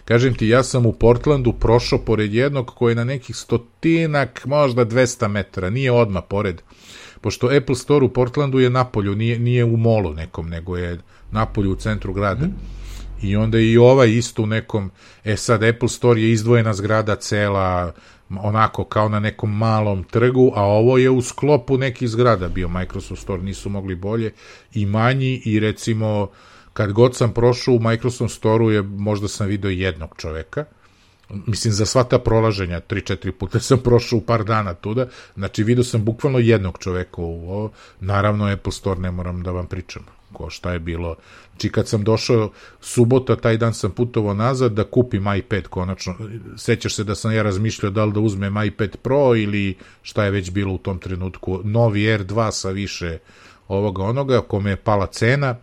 Kažem ti, ja sam u Portlandu prošao pored jednog koji je na nekih stotinak, možda dvesta metara, nije odmah pored. Pošto Apple Store u Portlandu je napolju, nije, nije u molu nekom, nego je napolju u centru grada. Mm. I onda i ovaj isto u nekom, e sad Apple Store je izdvojena zgrada cela, onako kao na nekom malom trgu, a ovo je u sklopu nekih zgrada bio Microsoft Store, nisu mogli bolje, i manji, i recimo kad god sam prošao u Microsoft Store-u je, možda sam vidio jednog čoveka, mislim, za sva ta prolaženja, tri četiri puta sam prošao u par dana tuda, znači vidio sam bukvalno jednog čoveka u ovo, naravno Apple Store ne moram da vam pričam, ko šta je bilo, znači kad sam došao subota, taj dan sam putovao nazad da kupim iPad konačno, sećaš se da sam ja razmišljao da li da uzmem iPad Pro ili šta je već bilo u tom trenutku, novi R dva sa više ovoga onoga, kome je pala cena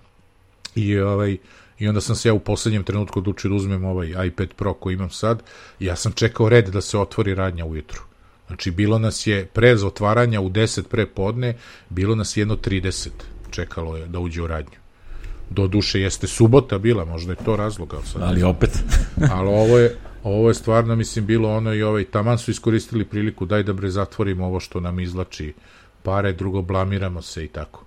i ovaj, i onda sam se ja u poslednjem trenutku odlučio da uzmem ovaj iPad Pro koji imam sad, ja sam čekao red da se otvori radnja ujutru. Znači, bilo nas je pre otvaranja u deset pre podne, bilo nas jedno trideset čekalo je da uđe u radnju. Do duše jeste subota bila, možda je to razlog, ali sad... Ali opet. ali ovo je, ovo je stvarno, mislim, bilo ono i ovaj, taman su iskoristili priliku, daj da bre zatvorimo ovo što nam izlači pare, drugo blamiramo se i tako.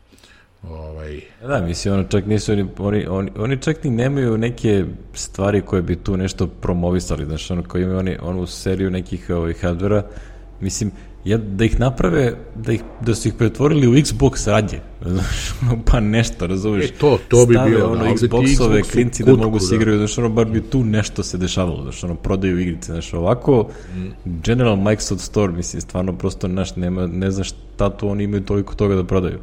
Ovaj... Da, mislim, ono čak nisu, oni, oni, oni, oni čak ni nemaju neke stvari koje bi tu nešto promovisali, znaš, ono koji imaju oni, onu seriju nekih ovaj, hardvera, mislim, ja, da ih naprave, da, ih, da su ih pretvorili u Xbox radnje, znaš, pa nešto, razumiješ, e, to, to bi stave bilo, ono da, Xboxove Xbox klinci kutku, da mogu se da. igraju, znaš, ono, bar bi tu nešto se dešavalo, znaš, ono, prodaju igrice, znaš, ovako, mm. General Microsoft Store, mislim, stvarno prosto, naš, nema, ne znaš šta tu oni imaju toliko toga da prodaju.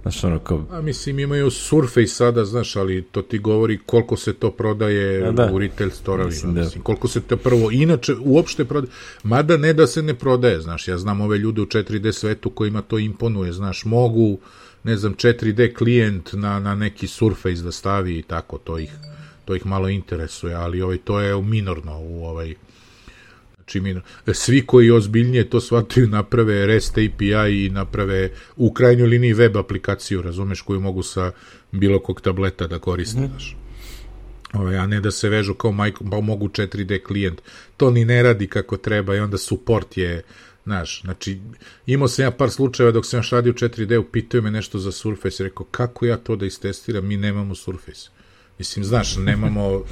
Znaš, ono, kao... A mislim, imaju Surface sada, znaš, ali to ti govori koliko se to prodaje A, da. u retail store-ovima, mislim, mislim, da. koliko se to prvo, inače, uopšte prodaje, mada ne da se ne prodaje, znaš, ja znam ove ljude u četiri D svetu kojima to imponuje, znaš, mogu, ne znam, četiri D klijent na, na neki Surface da stavi i tako, to ih, to ih malo interesuje, ali ovaj, to je minorno u ovaj... Svi koji ozbiljnije to shvataju naprave REST A P I i naprave u krajnjoj liniji web aplikaciju, razumeš, koju mogu sa bilo kog tableta da koriste, znaš. Ovaj, a ne da se vežu kao Micro, pa mogu četiri D klijent. To ni ne radi kako treba i onda support je, znaš, znači, imao sam ja par slučajeva dok sam još radio u četiri D, upitaju me nešto za Surface, rekao, kako ja to da istestiram, mi nemamo Surface. Mislim, znaš, nemamo...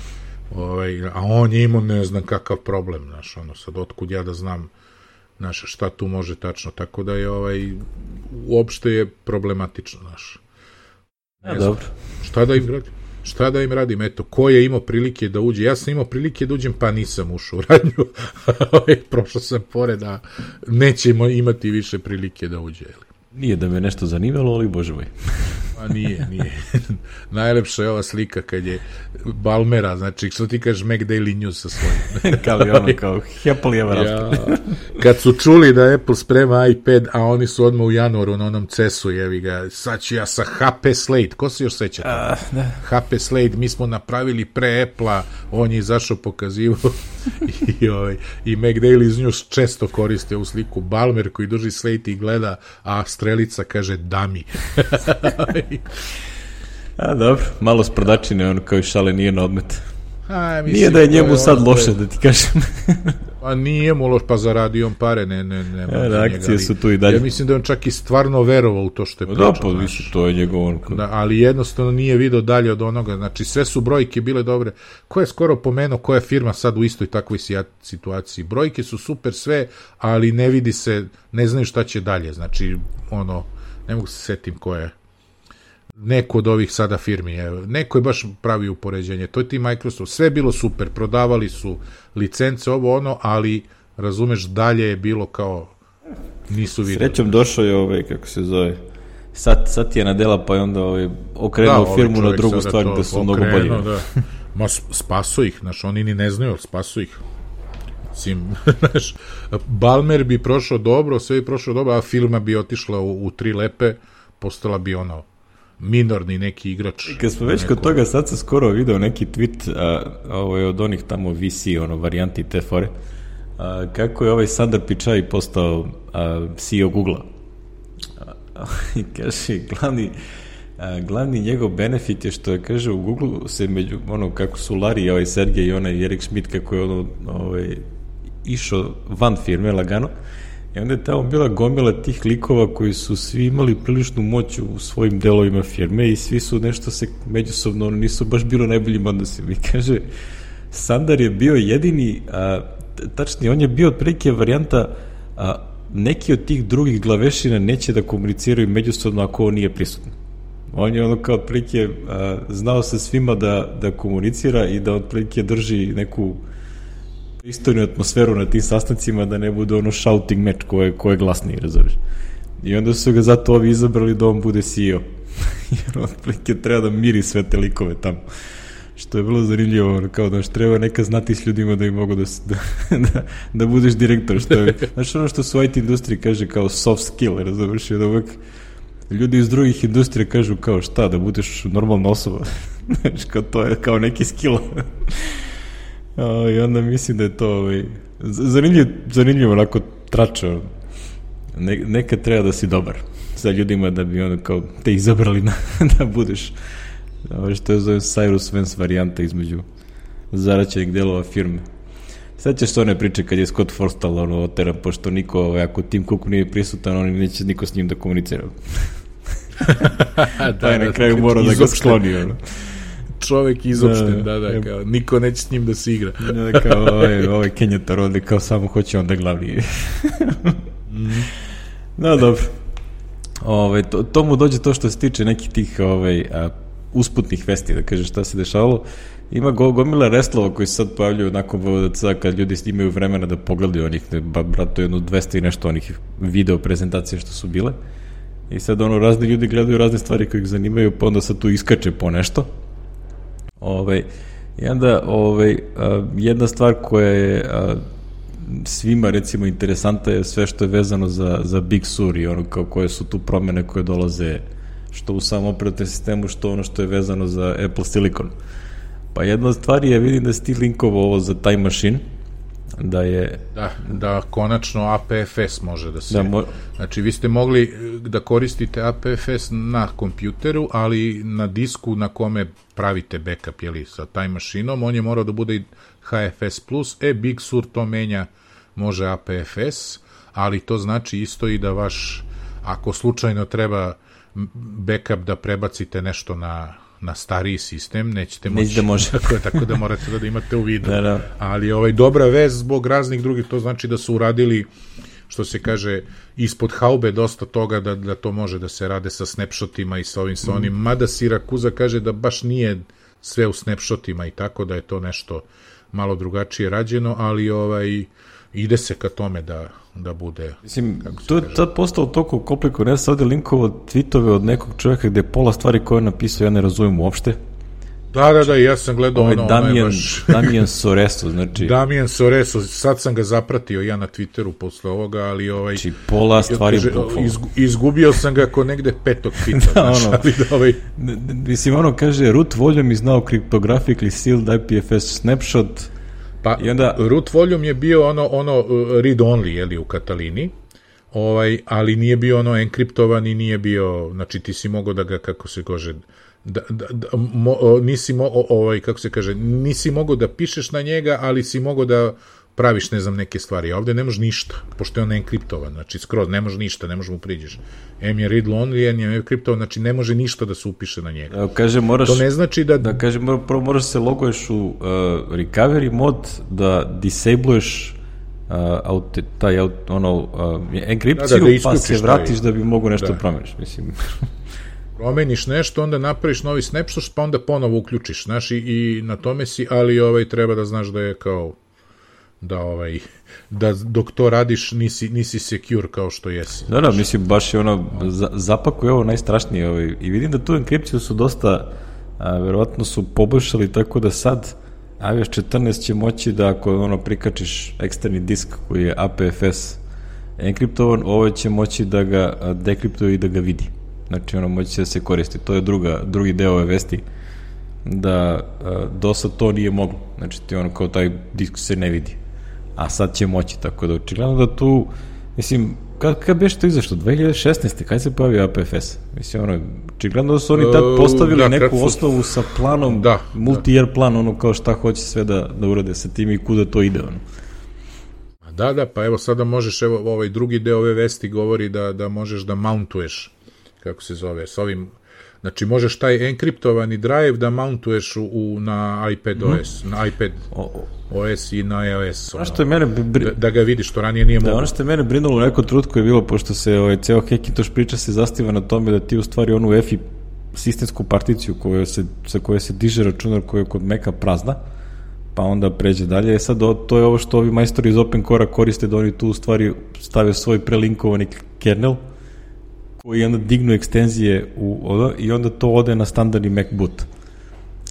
Ovaj, a on je imao ne znam kakav problem, znaš, ono, sad otkud ja da znam, znaš, šta tu može tačno, tako da je, ovaj, uopšte je problematično, znaš. Ja, dobro. Šta da im radim? Šta da im radim? Eto, ko je imao prilike da uđe? Ja sam imao prilike da uđem, pa nisam ušao u radnju. Prošao sam pored, a nećemo imati više prilike da uđe, jel? Nije da me nešto zanimalo, ali bože moj. Pa nije, nije. Najlepša je ova slika kad je Balmera, znači, što ti kažeš, Mac Daily News sa svojim. kao i ono, kao happily ever after. Ja, kad su čuli da Apple sprema iPad, a oni su odmah u januaru na onom cesu, jevi ga, sad ću ja sa H P Slate, ko se još seća toga? Uh, H P Slate, mi smo napravili pre Apple-a, on je izašao pokazivo i, ovaj, i Mac Daily News često koriste u sliku Balmer koji drži Slate i gleda, a strelica kaže dami. A dobro, malo s prodačine, ono kao i šale nije na odmet. A, mislim, nije da je njemu sad ono loše, da ti kažem. Pa nije mu loš, pa zaradio on pare, ne, ne, ne. Ja, da, akcije njega, su tu i dalje. Ja mislim da on čak i stvarno verovao u to što je pričao. Da, pa mislim, to je njegov onko. Da, ali jednostavno nije video dalje od onoga, znači sve su brojke bile dobre. Ko je skoro pomenuo, koja je firma sad u istoj takvoj situaciji? Brojke su super sve, ali ne vidi se, ne znaju šta će dalje, znači, ono, ne mogu se setim ko je. Neko od ovih sada firmi, evo, neko je baš pravi upoređenje, to je ti Microsoft, sve je bilo super, prodavali su licence, ovo ono, ali razumeš, dalje je bilo kao nisu videli. Srećom došao je ovaj, kako se zove, sad, sad je nadela, pa je onda ovaj, okrenuo da, firmu na drugu stvar da su mnogo bolji. Da. Ma spaso ih, znaš, oni ni ne znaju, spaso ih. Sim, znaš, Balmer bi prošao dobro, sve bi prošao dobro, a firma bi otišla u, u tri lepe, postala bi ono minorni neki igrač. Kad smo već neko... kod toga, sad sam skoro video neki tweet, a, ovo je od onih tamo V C, ono, varijanti te fore, a, kako je ovaj Sundar Pichai postao a, C E O Google-a. I kaže, glavni, a, glavni njegov benefit je što je, kaže, u Google se među, ono, kako su Larry i ovaj Sergej i onaj Erik Schmidt, kako je ono, ovaj, išao van firme, lagano, i onda je tamo bila gomila tih likova koji su svi imali priličnu moć u svojim delovima firme i svi su nešto se međusobno, nisu baš bilo najboljim odnosima. I kaže, Sundar je bio jedini, a, tačnije, on je bio otprilike varijanta, a, neki od tih drugih glavešina neće da komuniciraju međusobno ako on nije prisutan. On je ono kao otprilike znao sa svima da, da komunicira i da otprilike drži neku istoriju atmosferu na tim sastancima da ne bude ono shouting meč ko je, ko je glasniji, razumiješ. I onda su ga zato ovi izabrali da on bude C E O. Jer otprilike treba da miri sve te likove tamo. Što je bilo zanimljivo, kao da treba neka znati s ljudima da im mogu da, da, da, da budeš direktor. Što je, znaš ono što su u I T industriji kaže kao soft skill, razumiješ, da uvek ljudi iz drugih industrija kažu kao šta, da budeš normalna osoba. Znaš, kao to je kao neki skill. O, i onda mislim da je to ovaj, zanimljivo, zanimljivo onako tračao. Ne, nekad treba da si dobar sa ljudima da bi ono kao te izabrali na, da budeš ovo što je zove Cyrus Vance varijanta između zaraćenih delova firme. Sad ćeš to ne priče kad je Scott Forstall ono oteran, pošto niko, ovaj, ako Tim Cook nije prisutan, on neće niko s njim da komunicira. da, pa je na kraju morao da ga skloni. Ono. Čovek izopšten, da, da, da, kao, niko neće s njim da se igra. da, kao ovaj, ovaj Kenyatar ovde, kao samo hoće onda glavni. mm. No, dobro. Ove, to, to mu dođe to što se tiče nekih tih ovaj, a, usputnih vesti, da kažem šta se dešavalo. Ima go, gomila reslova koji se sad pojavljaju nakon V V D C kad ljudi imaju vremena da pogledaju onih, ba, brato, jedno dvesta i nešto onih video prezentacije što su bile. I sad ono, razni ljudi gledaju razne stvari koje ih zanimaju, pa onda sad tu iskače po nešto. Ove, I onda ove, a, jedna stvar koja je a, svima recimo interesanta je sve što je vezano za, za Big Sur i ono kao koje su tu promene koje dolaze što u samom operativnom sistemu, što ono što je vezano za Apple Silicon. Pa jedna od stvari je, vidim da si ti linkovo ovo za Time Machine, da je... Da, da konačno A P F S može da se... Da mo... Znači, vi ste mogli da koristite A P F S na kompjuteru, ali na disku na kome pravite backup, jeli, sa Time Machine-om, on je morao da bude i H F S plus, e, Big Sur to menja, može A P F S, ali to znači isto i da vaš, ako slučajno treba backup da prebacite nešto na, na stariji sistem, nećete moći. Da može. Tako, tako da morate da imate u vidu. Da, da. Ali ovaj, dobra vez zbog raznih drugih, to znači da su uradili, što se kaže, ispod haube dosta toga da, da to može da se rade sa snapshotima i sa ovim, sa onim. Mm. Mada Sirakuza kaže da baš nije sve u snapshotima i tako da je to nešto malo drugačije rađeno, ali ovaj ide se ka tome da, da bude... Mislim, to je tad postalo toliko komplikovano. Ja sam ovdje linkovo tweetove od nekog čovjeka gde pola stvari koje je napisao ja ne razumijem uopšte. Da, da, da, ja sam gledao ovaj ono... Damien, baš... Damien Soreso, znači... Damien Soreso, sad sam ga zapratio ja na Twitteru posle ovoga, ali ovaj... Znači, pola stvari... Izgu, izgubio sam ga ko negde petog tweeta, da, znači, ono, ali da ovaj... Mislim, ono kaže, root volume is now cryptographically sealed I P F S snapshot. Pa, i onda, root volume je bio ono, ono read only, jeli, u Katalini, ovaj, ali nije bio ono enkriptovan i nije bio, znači ti si mogao da ga, kako se kaže, da, da, da, mo, nisi mo, ovaj, kako se kaže, nisi mogao da pišeš na njega, ali si mogao da praviš, ne znam, neke stvari. A ovde ne može ništa, pošto je on enkriptovan, znači skroz, ne može ništa, ne može mu priđeš. M je read only, N je enkriptovan, znači ne može ništa da se upiše na njega. Evo, kaže, moraš, to ne znači da... Da, kaže, prvo moraš se loguješ u uh, recovery mod, da disabluješ uh, auto, taj, ono, uh, enkripciju, da, da, da pa se vratiš taj, da bi mogo nešto da promeniš, mislim... Promeniš nešto, onda napraviš novi snapshot, pa onda ponovo uključiš, znaš, i, i na tome si, ali ovaj, treba da znaš da je kao... da ovaj da dok to radiš nisi, nisi secure kao što jesi. Da, da, mislim, baš je ono za, zapakuje ovo najstrašnije ovaj, i vidim da tu enkripciju su dosta a, verovatno su poboljšali tako da sad i O S četrnaest će moći da ako ono prikačiš eksterni disk koji je A P F S enkriptovan, ovo će moći da ga dekriptuje i da ga vidi. Znači ono moći će da se koristi. To je druga, drugi deo ove vesti da a, do sad to nije moglo. Znači ti ono kao taj disk se ne vidi. A sad će moći, tako da očigledno da tu, mislim, kad, kad beš to izašlo, dve hiljade šesnaeste kad se pojavio A P F S? Mislim, ono, očigledno da su oni tad postavili uh, da, neku su... osnovu sa planom, da, multi-year da. plan, ono kao šta hoće sve da, da urade sa tim i kuda to ide, ono. Da, da, pa evo sada možeš, evo ovaj drugi deo ove vesti govori da, da možeš da mountuješ, kako se zove, s ovim, znači možeš taj enkriptovani drive da mountuješ u, u, na iPad O S, mm. na iPad O S i na iOS. Ono, što je mene bri... da, da ga vidiš, što ranije nije moguće. Da, ono što je mene brinulo u nekom trenutku je bilo, pošto se ovaj, ceo Hackintosh priča se zastiva na tome da ti u stvari onu E F I sistemsku particiju koju se, sa koje se diže računar koja je kod Maca prazna, pa onda pređe dalje. Sad to je ovo što ovi majstori iz OpenCore-a koriste, da oni tu u stvari stave svoj prelinkovani kernel koji onda dignu ekstenzije u oda i onda to ode na standardni Mac boot.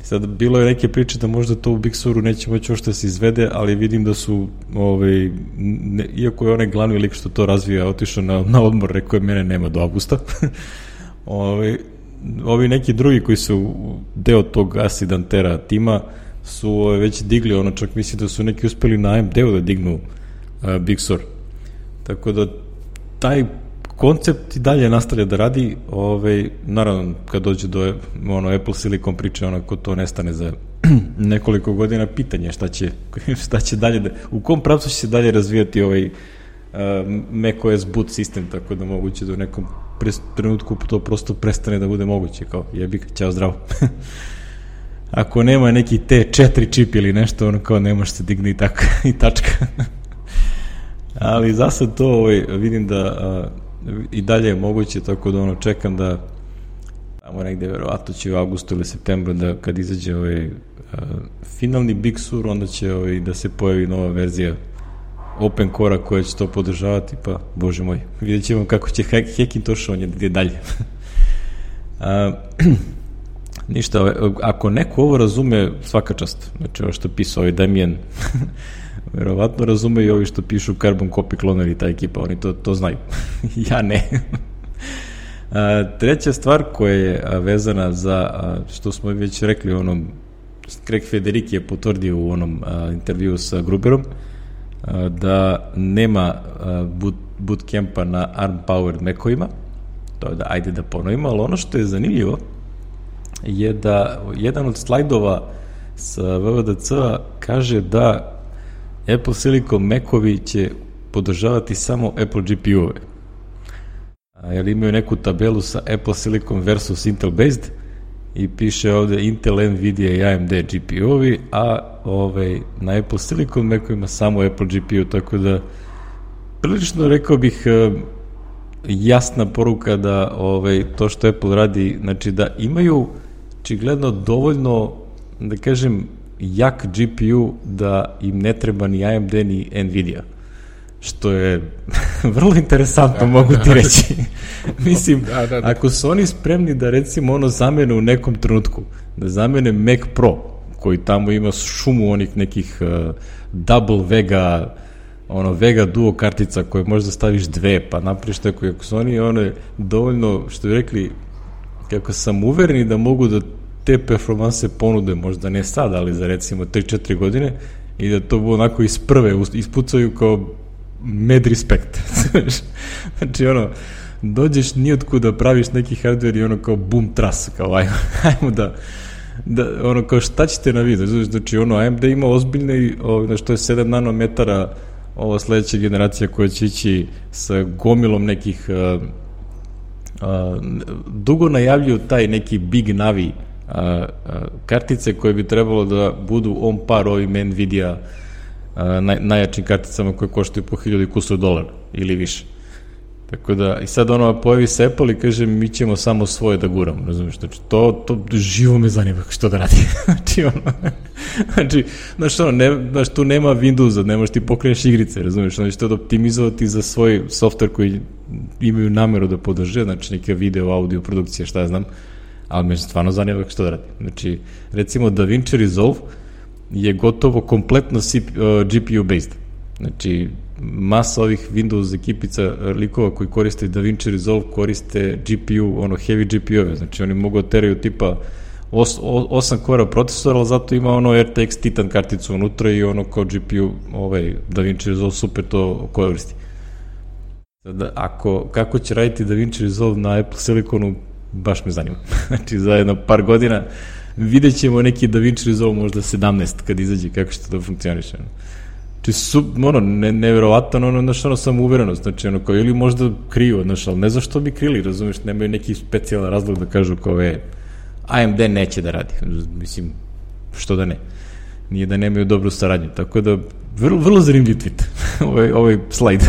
Sad, bilo je neke priče da možda to u Big Suru neće moći ošto da se izvede, ali vidim da su, ovaj, ne, iako je onaj glavni lik što to razvija otišao na, na odmor, rekao je mene nema do avgusta. ovaj, ovi neki drugi koji su deo tog Acidantera tima su ovaj, već digli ono, čak mislim da su neki uspeli na A M D-u da dignu uh, Big Sur. Tako da taj koncept i dalje nastavlja da radi, ovaj, naravno kad dođe do ono, Apple Silicon priče, onako to nestane za nekoliko godina, pitanje šta će, šta će dalje, da, u kom pravcu će se dalje razvijati ovaj uh, macOS boot sistem, tako da moguće da u nekom pres, trenutku to prosto prestane da bude moguće, kao jebik, ćao, zdravo. Ako nema neki T četiri čip ili nešto, ono kao ne može se digni i, tako, i tačka. Ali za sad to ovaj, vidim da uh, i dalje je moguće, tako da ono čekam da tamo negde verovatno će u avgustu ili septembru da kad izađe ovaj uh, finalni Big Sur, onda će ovaj, da se pojavi nova verzija OpenCore-a koja će to podržavati, pa bože moj, vidjet ćemo kako će Hackintosh on je gdje dalje. uh, ništa, ako neko ovo razume, svaka čast, znači ovo što pisao ovaj Damien verovatno razume i ovi što pišu Carbon Copy Cloner i ta ekipa, oni to, to znaju. Ja ne. A, treća stvar koja je a, vezana za, a, što smo već rekli, onom, Craig Federighi je potvrdio u onom a, intervju sa Gruberom, a, da nema a, boot, bootcampa na ARM-powered Mac-ovima, to je da, ajde da ponovimo, ali ono što je zanimljivo je da jedan od slajdova sa V V D C-a kaže da Apple Silicon Mac-ovi će podržavati samo Apple G P U-ove. Jer imaju neku tabelu sa Apple Silicon versus Intel based i piše ovde Intel, Nvidia i A M D G P U-ovi, a ovaj, na Apple Silicon Mac-ovima samo Apple G P U, tako da prilično rekao bih jasna poruka da ovaj, to što Apple radi, znači da imaju očigledno dovoljno, da kažem, jak G P U da im ne treba ni A M D ni Nvidia, što je vrlo interesantno, da, mogu ti reći. Mislim, da, da, da. Ako su oni spremni da recimo ono zamene u nekom trenutku, da zamene Mac Pro, koji tamo ima šumu onih nekih uh, double Vega, ono Vega Duo kartica koje možda staviš dve, pa napriš tako, ako su oni one dovoljno, što bi rekli, kako sam uvereni da mogu da te performanse ponude, možda ne sad, ali za recimo tri četiri godine, i da to bude onako iz prve, ispucaju kao mad respect. Znači, ono, dođeš nijotkud da praviš neki hardware i ono kao boom tras, kao ajmo, ajmo da, da, ono kao šta ćete na vidu, znači, ono, A M D ima ozbiljne, ono, što je sedam nanometara, ova sledeća generacija koja će ići sa gomilom nekih, uh, uh, dugo najavljuju taj neki Big Navi A, a, kartice koje bi trebalo da budu on par ovim Nvidia a, naj, najjačim karticama koje koštaju po hiljadu i kusur dolara ili više. Tako da, i sad ono pojavi se Apple i kaže mi ćemo samo svoje da guramo, razumiješ, znači to, to živo me zanima što da radi. Znači ono, znači, znaš ono, ne, znaš, tu nema Windowsa, ne možeš ti pokreneš igrice, razumiješ, znači to da optimizovati za svoj software koji imaju nameru da podrže, znači neke video, audio produkcije, šta ja znam, ali me stvarno zanima što da radi. Znači, recimo DaVinci Resolve je gotovo kompletno G P U based. Znači, masa ovih Windows ekipica likova koji koriste DaVinci Resolve koriste G P U, ono heavy G P U-ove. Znači, oni mogu teraju tipa osam kora procesora, ali zato ima ono R T X Titan karticu unutra i ono kao G P U, ovaj DaVinci Resolve super to koristi. Sada, ako, kako će raditi DaVinci Resolve na Apple Siliconu, baš me zanima. Znači, za jedno par godina vidjet ćemo neki DaVinci Resolve možda sedamnaest kad izađe, kako će to da funkcioniše. Znači, su, ono, ne, nevjerovatan, ono, znaš, ono, sam uverenost, znači, ono, kao, ili možda kriju, znaš, ali ne zašto bi krili, razumiješ, nemaju neki specijalan razlog da kažu kao, e, A M D neće da radi, mislim, što da ne, nije da nemaju dobru saradnju, tako da, vrlo, vrlo zanimljiv tweet, ovaj, ovaj slajd.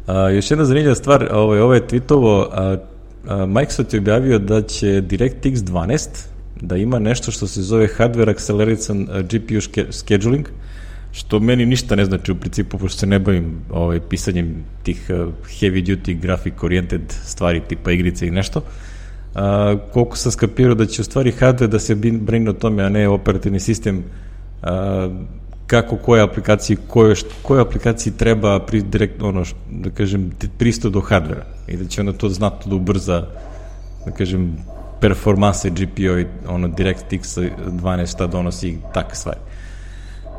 A, još jedna zanimljiva stvar, ovaj, ovaj tweetovo, a, a, Microsoft je objavio da će DirectX dvanaest, da ima nešto što se zove Hardware Acceleration G P U Scheduling, što meni ništa ne znači u principu, pošto se ne bavim ovaj, pisanjem tih uh, heavy duty graphic oriented stvari tipa igrice i nešto. Uh, koliko sam skapirao da će u stvari hardware da se brine o tome, a ne operativni sistem, uh, kako koje aplikaciji, koje, koje aplikaciji treba pri, direkt, ono, da kažem, pristup do hardvera i da će onda to znatno da ubrza, da kažem, performanse G P U i ono DirectX dvanaest šta donosi i takve stvari.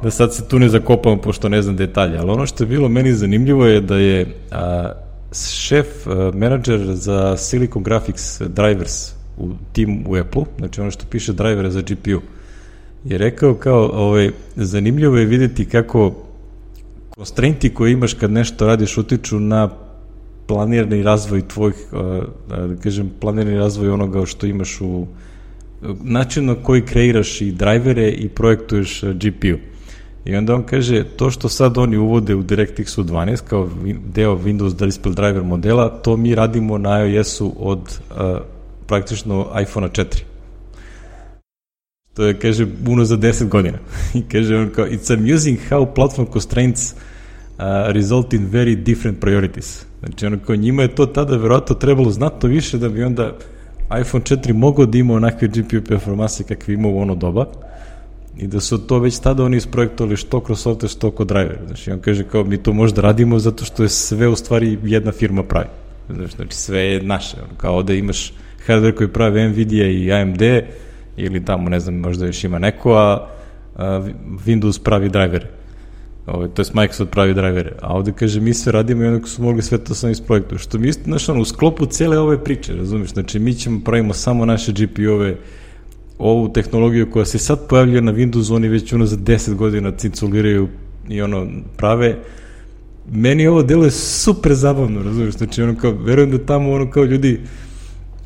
Da sad se tu ne zakopamo pošto ne znam detalje, ali ono što je bilo meni zanimljivo je da je a, šef, a, menadžer za Silicon Graphics Drivers u tim u Apple, znači ono što piše drivere za G P U, je rekao kao, ovaj, zanimljivo je vidjeti kako constrainti koje imaš kad nešto radiš utiču na planirani razvoj tvojih, da kažem, planirani razvoj onoga što imaš u način na koji kreiraš i drivere i projektuješ G P U. I onda on kaže, to što sad oni uvode u DirectX dvanaest kao deo Windows Display Driver modela, to mi radimo na iOS-u od uh, praktično iPhone četiri. To je, kaže, uno za deset godina. I kaže on kao, it's amusing how platform constraints uh, result in very different priorities. Znači, ono kao, njima je to tada verovatno trebalo znatno više da bi onda iPhone četiri mogao da ima onakve G P U performanse kakve ima u ono doba i da su to već tada oni isprojektovali što kroz software, što kod driver. Znači, on kaže kao, mi to možda radimo zato što je sve u stvari jedna firma pravi. Znači, sve je naše. Ono, kao ovde imaš hardware koji pravi Nvidia i A M D ili tamo, ne znam, možda još ima neko, a, a Windows pravi drivere. Ovo, to je Microsoft pravi drivere. A ovde kaže, mi sve radimo i onako su mogli sve to sam iz projektu. Što mi isto, znaš, ono, u sklopu cele ove priče, razumiješ? Znači, mi ćemo pravimo samo naše G P U-ove, ovu tehnologiju koja se sad pojavljuje na Windowsu, oni već ono za deset godina cinculiraju i ono prave. Meni ovo delo je super zabavno, razumiješ? Znači, ono kao, verujem da tamo ono kao ljudi,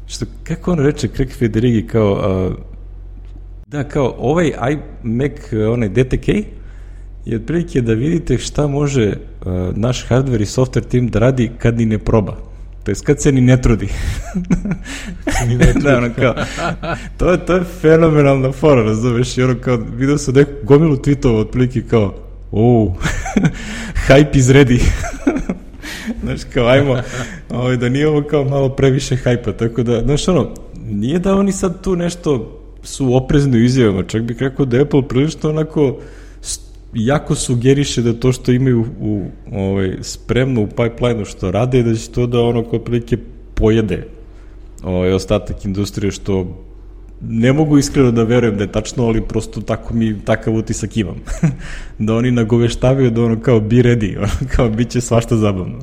što, kako on reče, Craig Federighi, kao, a, da, kao, ovaj iMac, onaj D T K, je otprilike da vidite šta može uh, naš hardware i software tim da radi kad ni ne proba. To je kad se ni ne trudi. Ni ne trudi. Da, ono kao, to je, to je fenomenalna fora, razumeš, i ono kao, vidio sam neku gomilu tweetova otprilike kao, oh, hype is ready. Znaš, kao, ajmo, ovaj, da nije ovo kao malo previše hajpa, tako da, znaš, ono, nije da oni sad tu nešto su oprezni u izjavama, čak bih rekao da Apple prilično onako jako sugeriše da to što imaju u, ovaj, spremno u pipeline-u što rade, da će to da ono kao prilike pojede ovaj, ostatak industrije, što ne mogu iskreno da verujem da je tačno, ali prosto tako mi takav utisak imam. Da oni nagoveštavaju da ono kao be ready, ono kao bit će svašta zabavno.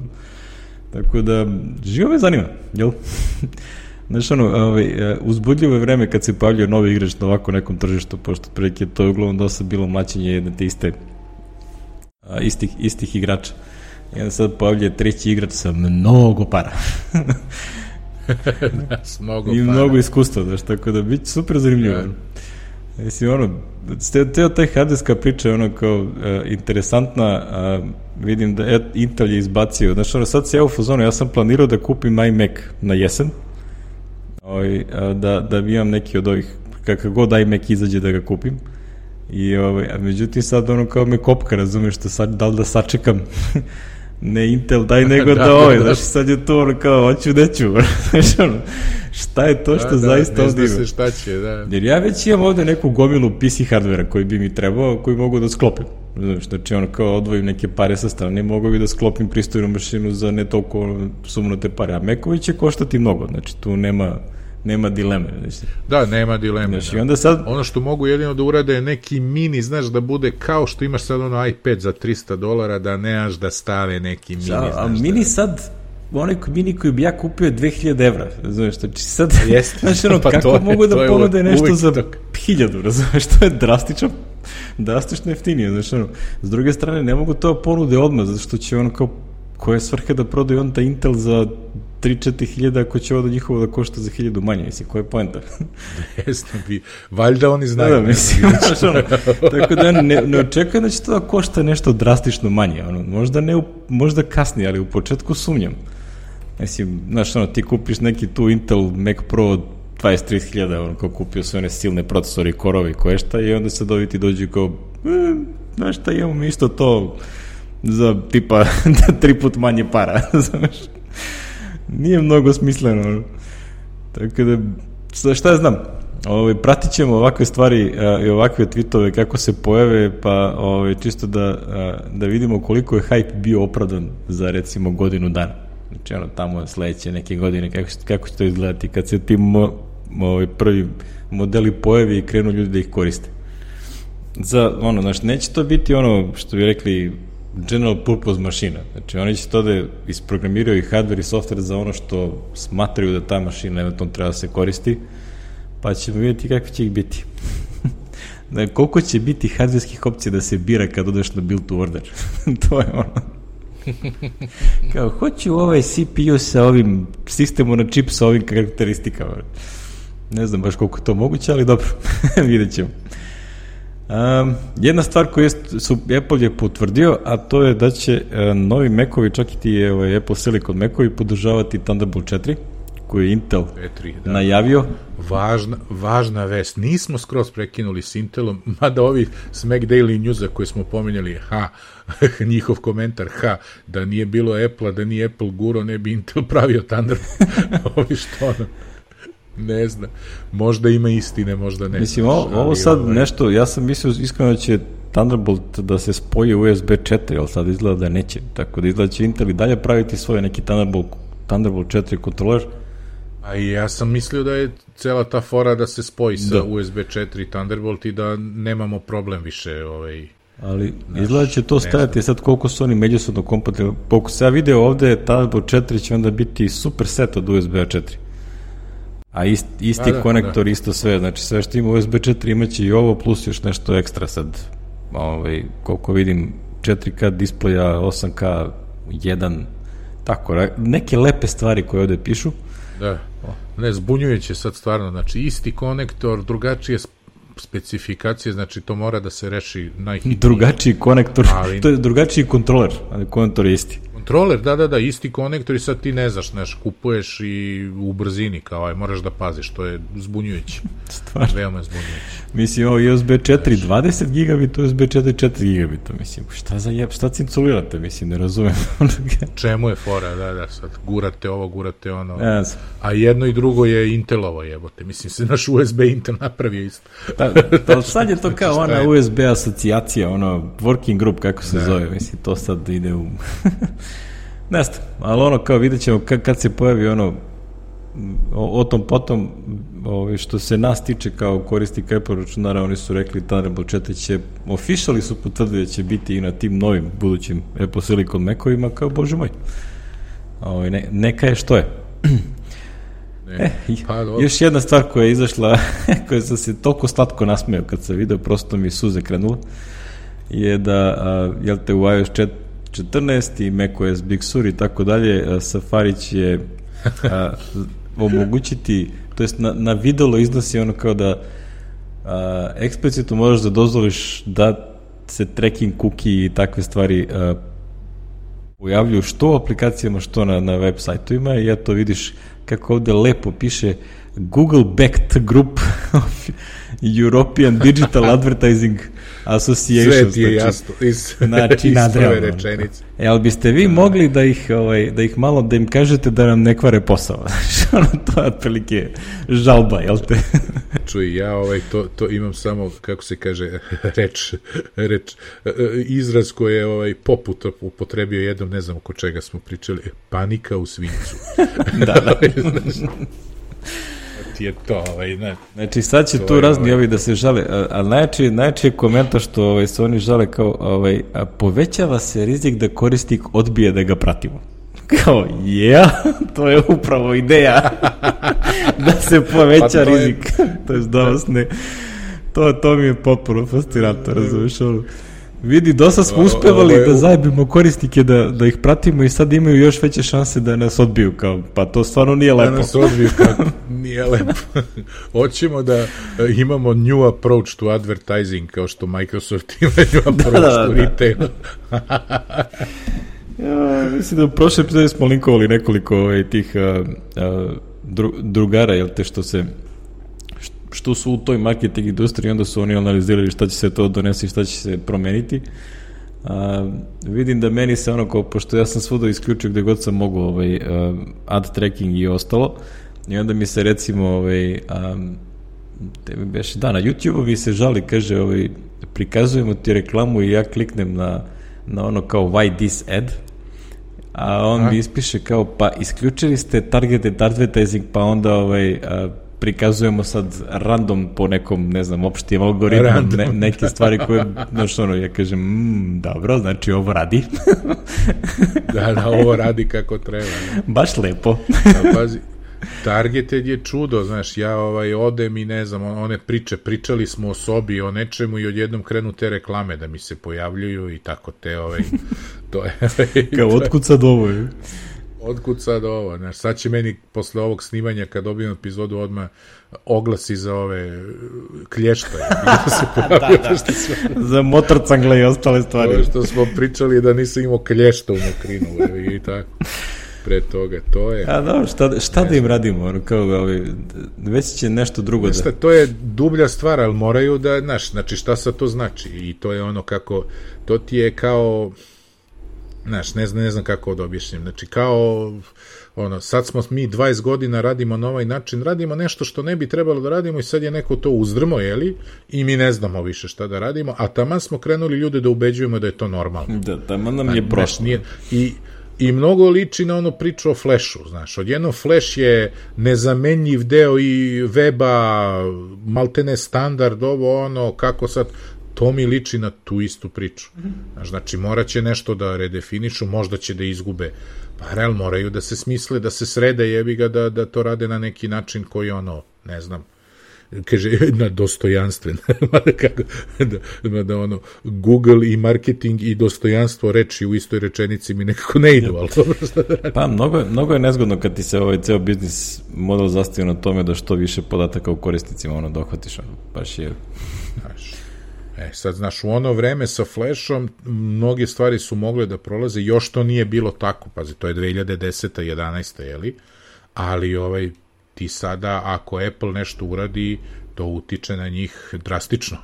Tako da, živo me zanima, jel? Znaš, ono, ovaj, uzbudljivo je vreme kad se pojavljaju novi igrač na ovako nekom tržištu, pošto prilike to je uglavnom dosta bilo mlaćenje jedne te iste a, istih, istih igrača. I onda sad pojavljuje treći igrač sa mnogo para. S mnogo I para. mnogo iskustva, znaš, tako da bit super zanimljivo. Ja. Mislim, ono, teo taj hardwareska priča je ono kao uh, interesantna, a, vidim da et, Intel je izbacio, znaš, ono, sad se ja u fazonu, ja sam planirao da kupim iMac na jesen, Ovaj, da, da imam neki od ovih, kakav god iMac izađe da ga kupim. I, ovaj, a međutim sad ono kao me kopka, razumiješ, što sad, da li da sačekam ne Intel, daj nego da, da ovaj, znaš, sad je to ono kao, hoću, neću, znaš, ono, šta je to što da, zaista da, ovdje ima. Se šta će, da. Jer ja već imam ovdje neku gomilu P C hardvera koji bi mi trebao, koji mogu da sklopim. Znaš, znači ono kao odvojim neke pare sa strane, mogu bi da sklopim pristojnu mašinu za ne toliko sumnute pare, a Macovi će koštati mnogo, znači tu nema nema dileme. Znači. Da, nema dileme. Znači, da. Onda sad... Ono što mogu jedino da urade je neki mini, znaš, da bude kao što imaš sad ono iPad za tristo dolara, da nemaš da stave neki mini. Da, znaš, a mini da... sad, onaj mini koji bi ja kupio je dve hiljade evra, razumiješ, znači sad, Jeste, znači ono, pa kako je, mogu da ponude nešto za tok. hiljadu, razumiješ, to je drastično, drastično jeftinije, znači ono, s druge strane, ne mogu to ponude odmah, zato što će ono kao, koja je svrha da prodaju on ta Intel za tri do četiri hiljada ako će ovo da njihovo da košta za hiljadu manje, mislim, koja je poenta? Jesno bi, valjda oni znaju. Da, da, mislim, ono, tako da ne, ne očekujem da će to da košta nešto drastično manje, ono, možda, ne, možda kasnije, ali u početku sumnjam. Mislim, znaš, ono, ti kupiš neki tu Intel Mac Pro dvadeset do trideset hiljada, ono, kao kupio sve one silne procesore i korove i koje šta, i onda sad ovi ti dođu kao, e, znaš šta, imamo mi isto to za tipa tri put manje para, znaš. Nije mnogo smisleno, ono. Tako da, šta ja znam, ovaj, pratit ćemo ovakve stvari a, i ovakve tweetove kako se pojave, pa ovaj, čisto da, a, da vidimo koliko je hype bio opravdan za recimo godinu dana. Znači ono, tamo sledeće neke godine, kako, kako će to izgledati kad se ti mo, ovaj, prvi modeli pojavi i krenu ljudi da ih koriste. Za, ono, znači, neće to biti ono što bi rekli general purpose mašina. Znači, oni će to da isprogramiraju i hardware i software za ono što smatraju da ta mašina eventualno treba da se koristi, pa ćemo vidjeti kakvi će ih biti. Da, koliko će biti hardverskih opcija da se bira kad odeš na build to order. To je ono. Kao, hoću ovaj C P U sa ovim sistemom na čip sa ovim karakteristikama. Ne znam baš koliko je to moguće, ali dobro, vidjet ćemo. Um, jedna stvar koju su Apple je potvrdio, a to je da će uh, novi Macovi, čak i ti ovaj, Apple Silicon Macovi podržavati Thunderbolt četiri, koji je Intel četiri, da, najavio. Važna, važna vest. Nismo skroz prekinuli s Intelom, mada ovi s Mac Daily Newsa koje smo pominjali, ha, njihov komentar, ha, da nije bilo Apple-a, da nije Apple guro, ne bi Intel pravio Thunderbolt. Ovi što ono, ne znam, možda ima istine, možda ne. Mislim, ovo, ovo sad ovaj... nešto, ja sam mislio iskreno da će Thunderbolt da se spoji U S B četiri, ali sad izgleda da neće, tako da izgleda će Intel i dalje praviti svoje neki Thunderbolt, Thunderbolt četiri kontroler. A i ja sam mislio da je cela ta fora da se spoji sa da. U S B četiri Thunderbolt i da nemamo problem više. Ovaj, ali naš, izgleda će to stajati sad koliko su oni međusobno kompatibilni. Koliko se ja video ovde, Thunderbolt četiri će onda biti super set od U S B četiri. A ist, isti da, konektor, da. Isto sve. Znači sve što ima U S B četiri imaće i ovo plus još nešto ekstra sad. Ovaj, koliko vidim četiri K displeja, osam K, jedan, tako, neke lepe stvari koje ovde pišu. Da, ne, zbunjujuće sad stvarno, znači isti konektor, drugačije specifikacije, znači to mora da se reši najhitnije. Drugačiji konektor, ali... to je drugačiji kontroler, ali konektor je isti. Kontroler, da, da, da, isti konektor i sad ti ne znaš, znaš, kupuješ i u brzini, kao aj, moraš da paziš, to je zbunjujuće. Stvarno. Veoma zbunjujuće. Mislim, ovo U S B četiri dvadeset gigabita, U S B četiri četiri gigabita, mislim, šta za jeb, šta cinculirate, mislim, ne razumem. Čemu je fora, da, da, sad gurate ovo, gurate ono, yes. A jedno i drugo je Intelovo, jebote, mislim, se naš U S B Intel napravio isto. Da, da, sad je to kao ona U S B asocijacija, ono, working group, kako se da. Zove, mislim, to sad ide u... Ne znam, ali ono kao vidjet ćemo kad, kad se pojavi ono o, o tom potom ovaj, što se nas tiče kao korisnika Apple računara, oni su rekli Thunderbolt četiri će, officially su potvrdili da će biti i na tim novim budućim Apple Silicon Macovima, kao bože moj, ovaj, ne, neka je što je. E, pa, još jedna stvar koja je izašla koja sam se toliko slatko nasmeo kad sam video, prosto mi suze krenula, je da a, jel te u iOS četrnaest i macOS Big Sur i tako dalje, Safari će a, omogućiti, to jest na, na videlo iznosi ono kao da a, eksplicitno možeš da dozvoliš da se tracking cookie i takve stvari a, pojavljuju što u aplikacijama, što na, na web sajtovima, i ja to vidiš kako ovde lepo piše Google backed group of European Digital Advertising Association. Sve ti je jasno iz, znači, iz prve rečenice. E, ali biste vi mogli da ih, ovaj, da ih malo, da im kažete da nam ne kvare posao. Ono, to je otprilike žalba, jel te? Čuj, ja ovaj, to, to imam samo, kako se kaže, reč, reč izraz koji je ovaj, poput upotrebio jednom, ne znam oko čega smo pričali, panika u svincu. Da, da. Ti je to, ovaj, ne. Znači, sad će tu razni ovaj, ovi da se žale, ali najjači, najjači je komentar što ovaj, se oni žale kao, ovaj, a povećava se rizik da korisnik odbije da ga pratimo. Kao, yeah, to je upravo ideja da se poveća pa to rizik. Je... to je da vas ne... To, to mi je potpuno fascinantno, razumiješ ono. Vidi, dosta smo uspevali da zajebimo korisnike da, da ih pratimo i sad imaju još veće šanse da nas odbiju, kao, pa to stvarno nije lepo. Da nas odbiju, kako, nije lepo. Hoćemo da imamo new approach to advertising, kao što Microsoft ima new approach da, da, to da. Retail. Ja, mislim da u prošle epizode smo linkovali nekoliko ovaj, tih uh, uh, dru, drugara, jel te, što se što su u toj marketing industriji, onda su oni analizirali šta će se to donesi, šta će se promeniti. A, vidim da meni se ono, kao, pošto ja sam svuda isključio gde god sam mogu ovaj, uh, ad tracking i ostalo, i onda mi se recimo ovaj, um, beše, da, na YouTube-u mi se žali, kaže, ovaj, prikazujemo ti reklamu i ja kliknem na, na ono kao why this ad, a on a? mi ispiše kao, pa isključili ste targeted advertising, pa onda ovaj, a, prikazujemo sad random po nekom, ne znam, opštim algoritmom, ne, neke stvari koje, znaš, ono, ja kažem, mmm, dobro, znači ovo radi. Da, da, ovo radi kako treba. Ne? Baš lepo. Da, pazi, targeted je čudo, znaš, ja ovaj, odem i ne znam, one priče, pričali smo o sobi, o nečemu i odjednom krenu te reklame da mi se pojavljuju i tako te, ovaj, to je... Kao, otkud sad ovo je? Otkud sad ovo, znaš, sad će meni posle ovog snimanja, kad dobijem epizodu, odmah oglasi za ove klješta. Da se pojavljaju, da, da. Sve... za motorcangle i ostale stvari. To što smo pričali da nisam imao klješta u mokrinu i tako. Pre toga, to je... A dobro, šta, šta da im radimo? Ono, kao, ovaj, već će nešto drugo da... To je dublja stvar, ali moraju da, znaš, znači šta sad to znači? I to je ono kako, to ti je kao... Znaš, ne znam, ne znam kako da objašnjam. Znači, kao, ono, sad smo mi dvadeset godina radimo na ovaj način, radimo nešto što ne bi trebalo da radimo i sad je neko to uzdrmo, jeli? I mi ne znamo više šta da radimo, a taman smo krenuli ljude da ubeđujemo da je to normalno. Da, taman nam je prošlo. I, I mnogo liči na ono priču o Flashu, znaš. Odjednom Flash je nezamenjiv deo i weba, maltene standard, ovo, ono, kako sad... To mi liči na tu istu priču. Znači, morat će nešto da redefinišu, možda će da izgube. Pa, real, moraju da se smisle, da se srede, jebi ga, da, da to rade na neki način koji, ono, ne znam, kaže, na dostojanstven. da, da, ono, Google i marketing i dostojanstvo reči u istoj rečenici mi nekako ne idu, ali dobro što da radim. Pa, mnogo, mnogo je nezgodno kad ti se ovaj ceo biznis model zastavio na tome da što više podataka u korisnicima, ono, dohvatiš, ono, baš je... Znaš, E, sad, znaš, u ono vreme sa Flashom mnoge stvari su mogle da prolaze, još to nije bilo tako, pazi, to je dve hiljade deseta jedanaesta jeli, ali ovaj, ti sada, ako Apple nešto uradi, to utiče na njih drastično.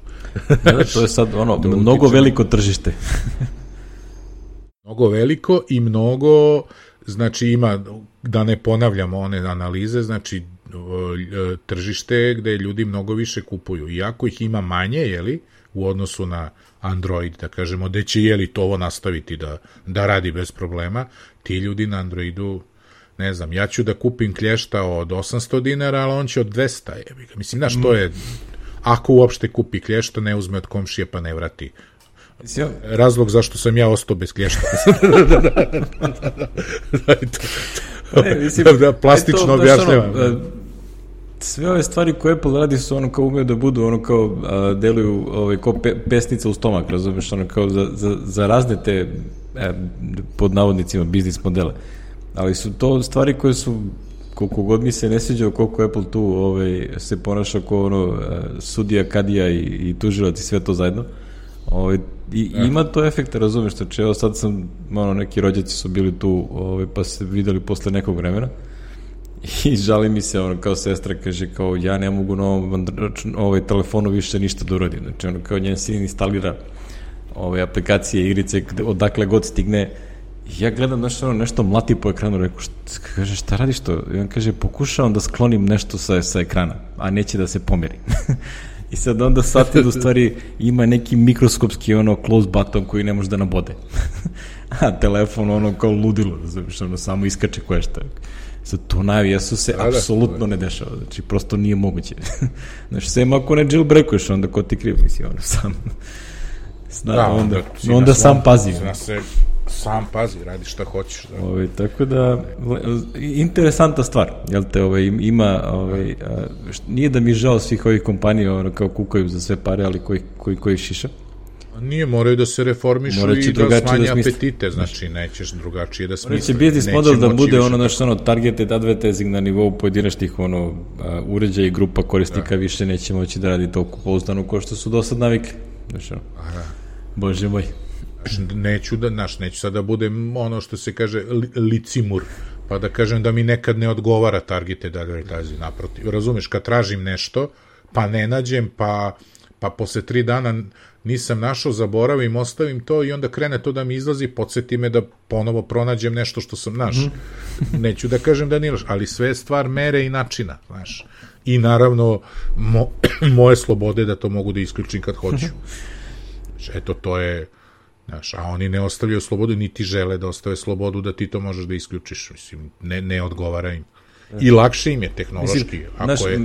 Da, to je sad ono, mnogo veliko tržište. Mnogo veliko i mnogo, znači ima, da ne ponavljamo one analize, znači tržište gde ljudi mnogo više kupuju. Iako ih ima manje, jeli, u odnosu na Android, da kažemo, gde će jeli to ovo nastaviti da, da radi bez problema, ti ljudi na Androidu, ne znam, ja ću da kupim klješta od osamsto dinara, ali on će od dvesta, jebi ga. Mislim, znaš, to je, ako uopšte kupi klješta, ne uzme od komšije pa ne vrati. Razlog zašto sam ja ostao bez klješta. Da, plastično objašnjavam. Sve ove stvari koje Apple radi su ono kao umeju da budu ono kao a, deluju ovaj, kao pe, pesnica u stomak, razumiješ, ono kao za, za, za razne te e, pod navodnicima biznis modele, ali su to stvari koje su, koliko god mi se ne sviđa koliko Apple tu ovaj, se ponaša kao ono sudija, kadija i, i tužilac i sve to zajedno, ovaj, i eh. ima to efekta, razumiješ, znači evo sad sam, ono, neki rođaci su bili tu ovaj, pa se videli posle nekog vremena i žali mi se, ono, kao sestra kaže, kao, ja ne mogu na ovom ovaj, telefonu više ništa da uradim. Znači, ono, kao njen sin instalira ove aplikacije, igrice, odakle god stigne. I ja gledam nešto, ono, nešto mlati po ekranu, rekao, šta, kaže, šta radiš to? I on kaže, pokušavam da sklonim nešto sa, sa ekrana, a neće da se pomeri. I sad onda shvatim da u stvari ima neki mikroskopski, ono, close button koji ne može da nabode. A telefon, ono, kao ludilo, znači, ono, samo iskače koje šta. Sad, to najvijesu se da, apsolutno da, ne dešava, znači, prosto nije moguće. Znači, sem ako ne jailbreakuješ, onda ko ti kriv, misli, ono, sam, zna, da, onda, onda, onda sam svom, pazi. Zna se, sam pazi, radi šta hoćeš. Da. Ove, tako da, interesantna stvar, jel te, ove, ima, ove, a, nije da mi žao svih ovih kompanija, ono, kao kukaju za sve pare, ali koji, koji, koji šiša. Nije, moraju da se reformišu i da smanje da apetite, znači nećeš drugačije da smisli. Moraće biznis model da bude ono, znači, ono, targeted advertising na nivou pojedinačnih, ono, uh, uređaja i grupa korisnika, da. Više neće moći da radi toliko pouzdano kao što su do sad navikli. Znači, ono, bože moj. Neću da, znaš, neću sad da budem ono što se kaže li, licimur, pa da kažem da mi nekad ne odgovara targeted advertising, naprotiv. Razumeš, kad tražim nešto, pa ne nađem, pa, pa posle tri dana nisam našao, zaboravim, ostavim to i onda krene to da mi izlazi, podsjeti me da ponovo pronađem nešto što sam naš. Mm-hmm. Neću da kažem da nije loš, ali sve je stvar mere i načina, znaš. I naravno, mo, moje slobode da to mogu da isključim kad hoću. Znači, eto, to je, znaš, a oni ne ostavljaju slobodu, niti žele da ostave slobodu da ti to možeš da isključiš. Mislim, ne, ne odgovara im. I lakše im je tehnološki. Mislim, ako naš, je...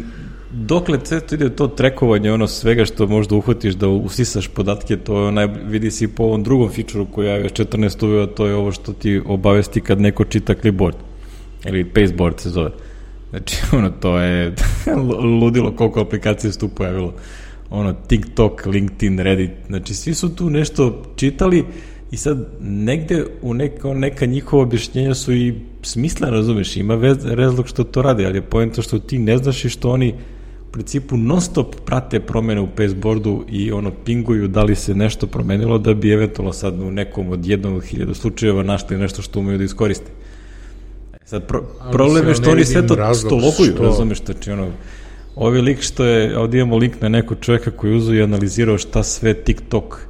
dokle to ide to trekovanje, ono svega što možda uhvatiš da usisaš podatke, to je onaj, vidi se i po ovom drugom fičuru koji je četrnaest uveo, to je ovo što ti obavesti kad neko čita clipboard. Ili pasteboard se zove. Znači, ono, to je ludilo koliko aplikacije su tu pojavilo. Ono, TikTok, LinkedIn, Reddit, znači, svi su tu nešto čitali i sad negde u neka, neka njihova objašnjenja su i smisla, razumeš, ima vez, razlog što to radi, ali je poenta što ti ne znaš i što oni u principu non stop prate promene u pasteboardu i ono, pinguju da li se nešto promenilo da bi eventualno sad u nekom od jednom od hiljada slučajeva našli nešto što umeju da iskoriste. Sad, pro, problem je što oni sve to stolokuju, što... razumeš, znači, ono, ovi lik što je, ovdje imamo link na nekog čovjeka koji uzeo i analizirao šta sve TikTok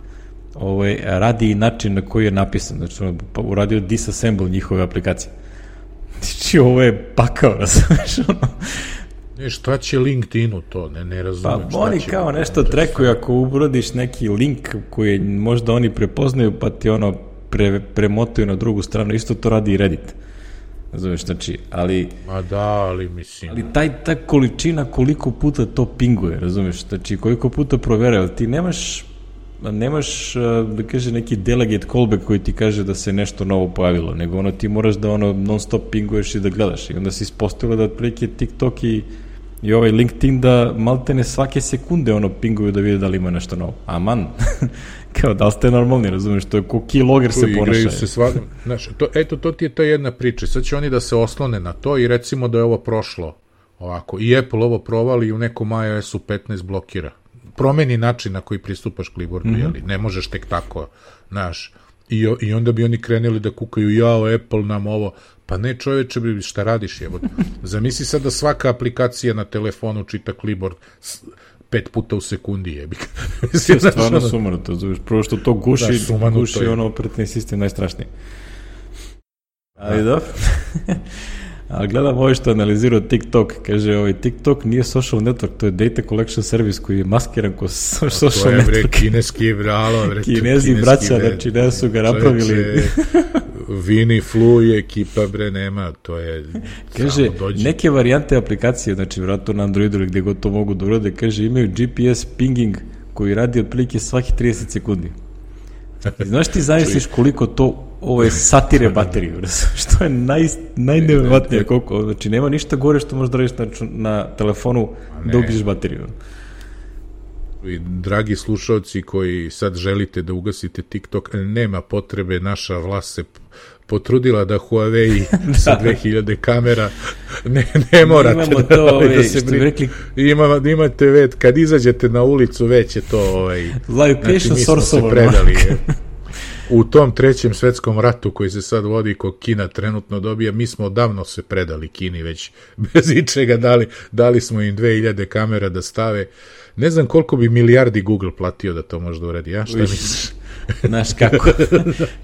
ovaj, radi i način na koji je napisan, znači, ono, uradio disassemble njihove aplikacije. Znači, ovo je pakao, razumeš, ono. Ne, šta će LinkedInu to, ne, ne razumem. Pa oni kao nešto trekuju, ako urodiš neki link koji možda oni prepoznaju, pa ti ono pre, premotuju na drugu stranu, isto to radi i Reddit. Razumeš, znači, ali... Ma da, ali mislim... Ali taj, ta količina koliko puta to pinguje, razumeš, znači, koliko puta provera, ali ti nemaš, nemaš, da kaže, neki delegate callback koji ti kaže da se nešto novo pojavilo, nego ono, ti moraš da ono non stop pinguješ i da gledaš, i onda si ispostavila da otprilike TikTok i, i ovaj LinkedIn da maltene svake sekunde ono pinguju da vide da li ima nešto novo. Aman, kao da li ste normalni, razumiješ, to je ko keylogger se ponašaju. Se sva... Znaš, to, eto, to ti je ta jedna priča. Sad će oni da se oslone na to i recimo da je ovo prošlo ovako. I Apple ovo provali i u nekom i O S-u petnaest blokira. Promeni način na koji pristupaš clipboardu, mm-hmm. jeli? Ne možeš tek tako, znaš. I, I onda bi oni krenuli da kukaju, jao, Apple nam ovo. Pa ne, čoveče, šta radiš, evo. Zamisli sad da svaka aplikacija na telefonu čita clipboard pet puta u sekundi, jebi. Mislim, je stvarno sumanuto, zoveš, prvo što to guši, da, guši ono operativni sistem najstrašniji. Ali da, ali gledam ovo što analizirao TikTok, kaže, ovaj TikTok nije social network, to je data collection service koji je maskiran ko social network. To je, bre, kineski, bralo, bre, kinezi braća, znači, ne su ga napravili. Vini, Flu i ekipa, bre, nema, to je... Kaže, neke varijante aplikacije, znači, vratno na Androidu ili gde god to mogu da urade, kaže, imaju G P S pinging koji radi otprilike svaki trideset sekundi. I znaš ti zamisliš koliko to ovo je satire bateriju, što je naj, najneverovatnije koliko, znači, nema ništa gore što možeš da radiš na, na telefonu da ubiješ bateriju. I, dragi slušalci koji sad želite da ugasite TikTok, nema potrebe, naša vlast se potrudila da Huawei da. Sa dve hiljade kamera ne, ne morate da, to, ovaj, da se rekli... Ima, imate već, kad izađete na ulicu već je to ovaj, znači mi smo se predali u tom trećem svetskom ratu koji se sad vodi ko Kina trenutno dobija, mi smo odavno se predali Kini već bez ičega, dali, dali smo im dve hiljade kamera da stave. Ne znam koliko bi milijardi Google platio da to možda uradi, ja? Šta misliš? Znaš kako?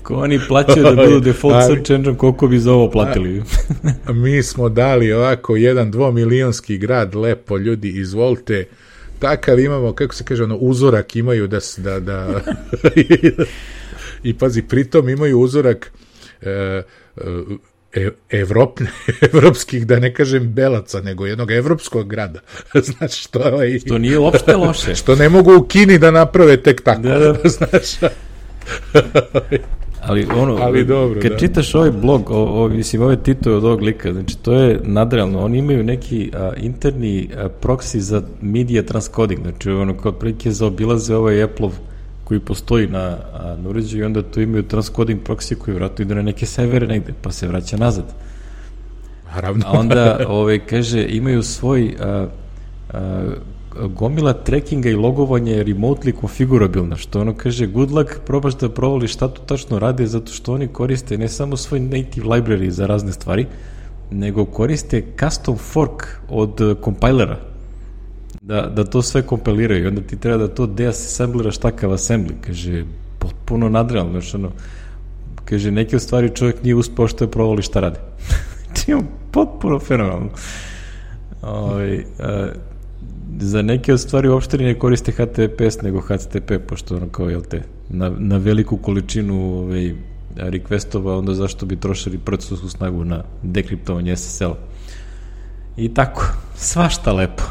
Ko oni plaćaju da budu default ali, search engine, koliko bi za ovo platili? A, mi smo dali ovako jedan dvomilionski grad, lepo, ljudi, izvolite, takav imamo, kako se kaže, ono, uzorak imaju da... da, da i pazi, pritom imaju uzorak e, e, Evrop, evropskih, da ne kažem belaca, nego jednog evropskog grada. Znaš, što, ovaj, što nije uopšte loše. Što ne mogu u Kini da naprave tek tako. Da, da. Znaš, ali ono, ali dobro, kad da. čitaš ovaj blog, o, o, mislim, ove titove od ovog lika, znači, to je nadrealno. Oni imaju neki a, interni a, proxy za media transcoding, znači, ono, kao prilike zaobilaze ovaj Apple-ov koji postoji na, na uređaju i onda tu imaju transcoding proxy koji vratno ide na neke servere negde, pa se vraća nazad. Naravno. A onda, ovaj, kaže, imaju svoj a, a, gomila trackinga i logovanja je remotely configurabilna, što ono kaže, good luck, probaš da provali šta tu tačno rade, zato što oni koriste ne samo svoj native library za razne stvari, nego koriste custom fork od kompilera. da, da to sve kompiliraju i onda ti treba da to deassembliraš takav assembly, kaže, potpuno nadrealno, znaš, ono, kaže, neke stvari čovjek nije uspeo što je provali šta rade. Znači, potpuno fenomenalno. Ovaj, a, za neke od stvari uopšte ne koriste H T T P S nego H T T P, pošto ono kao, jel te, na, na veliku količinu ovaj, requestova, onda zašto bi trošili procesorsku snagu na dekriptovanje S S L-a. I tako, svašta lepo.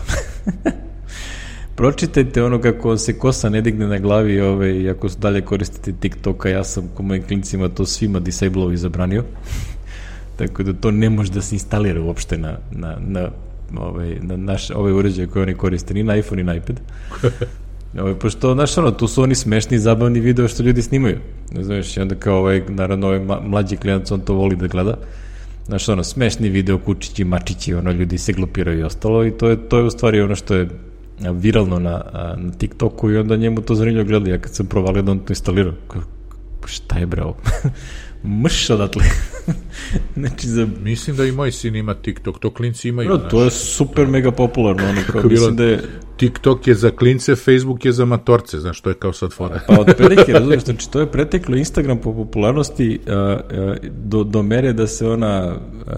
Pročitajte ono kako se kosa ne digne na glavi, ovaj, ako dalje koristite TikToka, ja sam ko mojim klincima to svima disableovo i zabranio. Tako da to ne može da se instalira uopšte na, na, na, ovaj, na naš, ove uređaje koje oni koriste, ni na iPhone, ni na iPad. Ovaj, pošto, znaš, ono, tu su oni smešni, zabavni video što ljudi snimaju. Ne znaš, i onda kao ovaj, naravno, ovaj mlađi klijent, on to voli da gleda. Znaš, ono, smešni video, kučići, mačići, ono, ljudi se glupiraju i ostalo i to je, to je u stvari ono što je viralno na, na TikToku i onda njemu to zanimljivo gleda. Ja kad sam provalio da on to instalirao, šta je bre ovo? Mrš odatle. Znači, za... Mislim da i moj sin ima TikTok, to klinci imaju. No, to je super mega popularno. Ono, kao, mislim da je... TikTok je za klince, Facebook je za matorce, znaš, to je kao sad fora. Pa od prilike, razumiješ, znači to je preteklo Instagram po popularnosti uh, uh, do, do mere da se ona uh,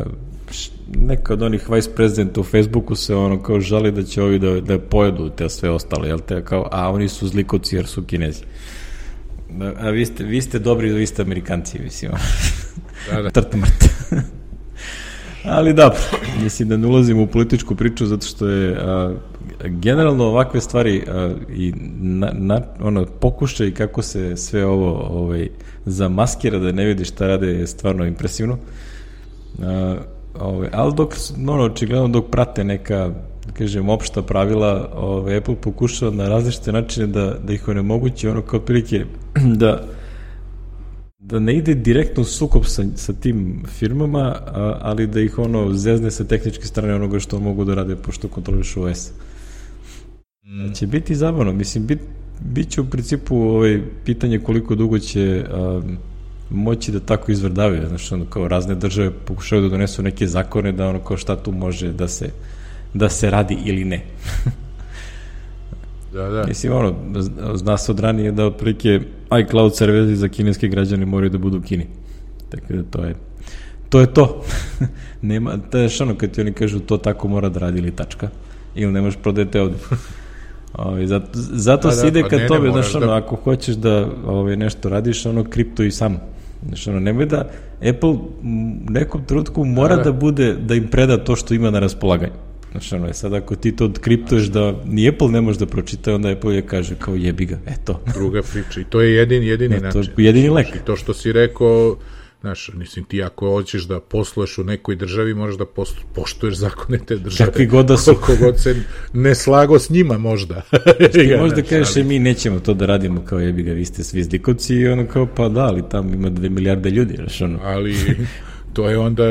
š, neka od onih vice presidenta u Facebooku se ono kao žali da će ovi da, da pojedu te sve ostale, jel te, kao, a oni su zlikovci jer su Kinezi. A vi ste, vi ste dobri, vi ste Amerikanci, mislim. Da, da. Trt mrt. Ali da, mislim da ne ulazimo u političku priču zato što je a, generalno ovakve stvari a, i na, na, ono, pokušaj kako se sve ovo ovaj, zamaskira da ne vidi šta rade je stvarno impresivno. A, ovaj, ali dok, ono, očigledno dok prate neka, da kažem, opšta pravila, ovaj, Apple pokušava na različite načine da, da ih onemogući, ono kao otprilike da da ne ide direktno u sukob sa, sa tim firmama, a, ali da ih ono zezne sa tehničke strane onoga što mogu da rade pošto kontrolišu O S. Mm. Će biti zabavno, mislim, bit, bit će u principu ovaj, pitanje koliko dugo će a, moći da tako izvrdavaju, znači ono kao razne države pokušaju da donesu neke zakone da ono kao šta tu može da se, da se radi ili ne. Da, da. Mislim, ono, zna se od ranije da otprilike iCloud serveri za kineske građane moraju da budu u Kini. Tako da to je to. Je to. Nema, to je što ono kad ti oni kažu to tako mora da radi ili tačka. Ili ne možeš prodajete ovde. Ove, zato zato da, se ide da, kad tobe, znaš, ono, da... ako hoćeš da ove, nešto radiš, ono, kripto i sam. Znaš, ono, nemoj da Apple u nekom trenutku mora da, da. da bude, da im preda to što ima na raspolaganju. Znači, ono je sad, ako ti to kriptuješ da ni Apple ne može da pročita, onda Apple je kaže kao jebi ga, eto. Druga priča i to je jedini, jedini no, način. To je jedini lek. I to što si rekao, znaš, mislim, ti ako hoćeš da posluješ u nekoj državi, moraš da poštuješ zakone te države. Kakvi god da su. Koliko god se ne slago s njima, možda. Ti možda kažeš, ali... mi nećemo to da radimo kao jebi ga, vi ste svi zlikovci i ono kao, pa da, ali tam ima dve milijarde ljudi, znaš, ono. Ali... To je onda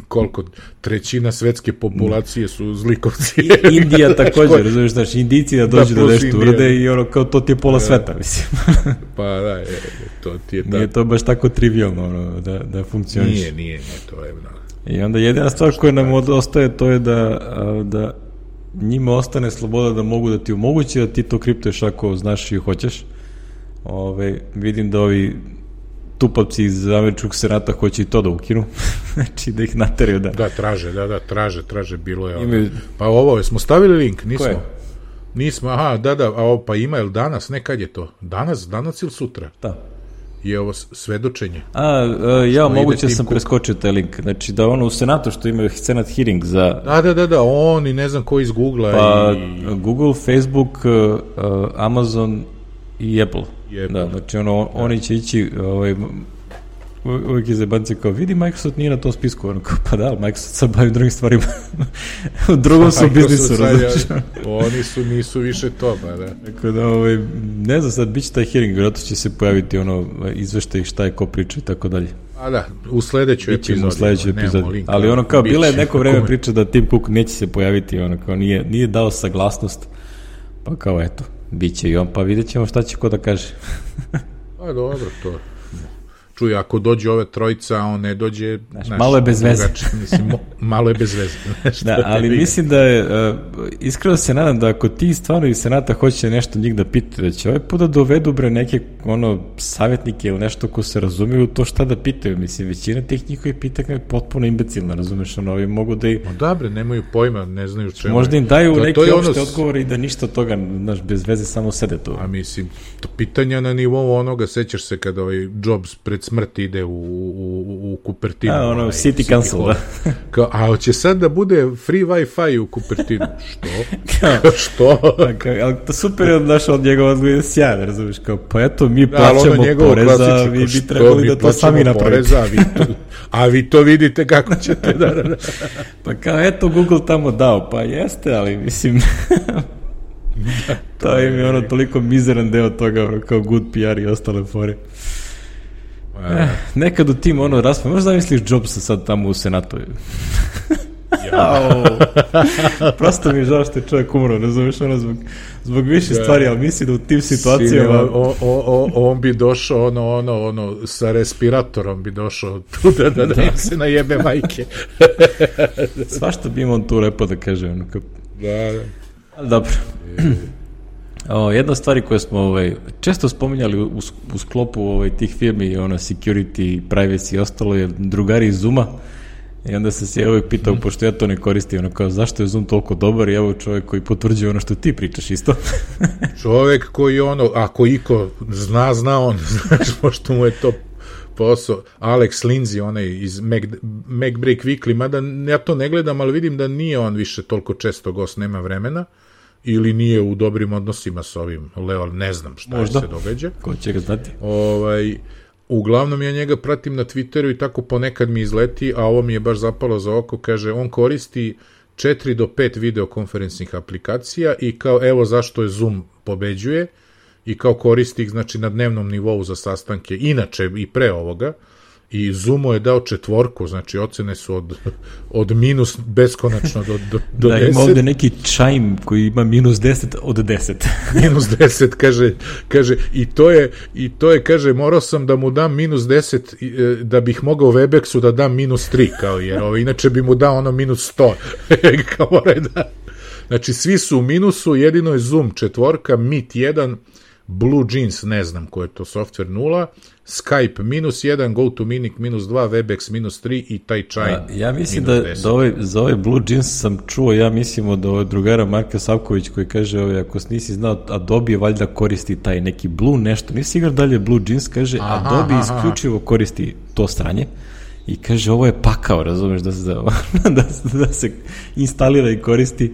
koliko trećina svetske populacije su zlikovci. Indija također, razumiješ, znači Indijci da dođu da, da nešto urade i ono kao to ti je pola da, sveta, mislim. Pa da, je, to ti je nije to baš tako trivialno ono, da, da funkcioniš. Nije, nije, nije, to je da. I onda jedina stvar koja nam ostaje to je da, da njima ostane sloboda da mogu da ti omogući da ti to kriptuješ ako znaš i hoćeš. Ove, vidim da ovi tupavci iz američkog senata hoće i to da ukinu. Znači da ih nateraju da... Da, traže, da, da, traže, traže, bilo je... Ime... Pa ovo, smo stavili link, nismo? Koje? Nismo, aha, da, da, a ovo, pa ima, jel danas, ne, kad je to? Danas, danas ili sutra? Da. Je ovo svedočenje? A, a ja moguće sam preskočio taj link. Znači da ono u senatu što imaju senat hearing za... Da, da, da, da, oni, ne znam ko iz Google-a pa, i... Google, Facebook, uh, Amazon i Apple. Apple. Da, znači ono, da. Oni će ići, ovaj, uvijek je zebanci kao, vidi, Microsoft nije na tom spisku, ono kao, pa da, Microsoft sad bavi drugim stvarima, u drugom su biznisu, različno. Oni su, nisu više to, pa da. Tako da, ovaj, ne znam, sad bit će taj hearing, vjerojatno će se pojaviti ono, izveštaj šta je ko priča i tako dalje. A da, u sledećoj epizodi. U sledećoj epizodi. Ali ono kao, bila je neko vreme priča da Tim Cook neće se pojaviti, ono kao, nije, nije dao saglasnost, pa kao, eto. Biće i on, pa vidjet ćemo šta će ko da kaže. Pa dobro, to čuj, ako dođe ove trojica, a on ne dođe... Znaš, znaš, malo je bez veze. Mislim, mo, malo je bez veze. Da, ali mislim da je, uh, iskreno se nadam da ako ti stvarno iz Senata hoće nešto njih da pitaju, da će ovaj put da dovedu bre neke ono, savjetnike ili nešto ko se razumiju to šta da pitaju. Mislim, većina tih njihovih pitanja je potpuno imbecilna, razumeš, ono, ovi mogu da i... No da bre, nemaju pojma, ne znaju čemu. Možda im daju to, neke to opšte ono... odgovore i da ništa od toga, znaš, bez veze samo sede tu. A mislim, to pitanja na nivou onoga, sećaš se kada ovaj Jobs pred smrt ide u, u, u Kupertinu. A, ono, ovaj, City, City Council, da. Kao, a hoće sad da bude free Wi-Fi u Kupertinu. Što? Kao, što? Kao, ali to super je od naša od njegova odgovora sjajna, razumiješ, kao, pa eto, mi plaćamo poreza, vi bi trebali da to sami napravite. A vi, to, a vi to vidite kako ćete da... da. Pa kao, eto, Google tamo dao, pa jeste, ali mislim... Da, to, to im je ono toliko mizeran deo toga, kao good P R i ostale fore. Eh, nekad u tim ono raspravi, možda zamisliš Jobsa sad tamo u Senatu. Ja. Prosto mi je žao što je čovjek umro, razumiješ, ono zbog, zbog više ja. stvari, ali misli da u tim situacijama... O, o, o, on bi došao, ono, ono, ono, sa respiratorom bi došao tu da, da, da, da. se najebe majke. Svašta bi im on tu lepo da kaže, ono, kao... Da, da. Ali dobro. O, jedna stvari koje smo ovaj, često spominjali u, u sklopu ovaj, tih firmi, ono, security, privacy i ostalo je drugari iz Zooma. I onda se se uvijek pitao, mm. pošto ja to ne koristim, ono kao, zašto je Zoom toliko dobar i evo čovjek koji potvrđuje ono što ti pričaš isto. Čovjek koji ono, ako iko zna, zna on, znaš, pošto mu je to posao. Alex Lindsay, onaj iz Mac, MacBreak Weekly, mada ja to ne gledam, ali vidim da nije on više toliko često gost, nema vremena, ili nije u dobrim odnosima s ovim Leo, ne znam šta Možda. se događa. Ko će ga znati? Ovaj, uglavnom ja njega pratim na Twitteru i tako ponekad mi izleti, a ovo mi je baš zapalo za oko, kaže, on koristi četiri do pet videokonferenčnih aplikacija i kao, evo zašto je Zoom pobeđuje, i kao koristi ih, znači, na dnevnom nivou za sastanke, inače i pre ovoga, i Zoomo je dao četvorku, znači ocene su od, od minus beskonačno do, do, do da, deset. Ima ovde neki Chime koji ima minus deset od deset. Minus deset, kaže, kaže, i to je, i to je, kaže, morao sam da mu dam minus deset da bih mogao Webexu da dam minus tri, kao jer ovo, inače bi mu dao ono minus sto. Kao mora da... Znači, svi su u minusu, jedino je Zoom četvorka, Meet jedan, Blue Jeans, ne znam ko je to software nula, Skype minus jedan, GoToMeeting minus dva, Webex minus tri i taj Chime A, ja mislim da, da ovaj, za ovaj Blue Jeans sam čuo, ja mislim od ovaj drugara Marka Savković koji kaže, ovaj, ako nisi znao, Adobe je valjda koristi taj neki Blue nešto, nisi igra dalje Blue Jeans, kaže, aha, Adobe aha, isključivo koristi to stranje i kaže, ovo je pakao, razumeš, da se, da, da se instalira i koristi.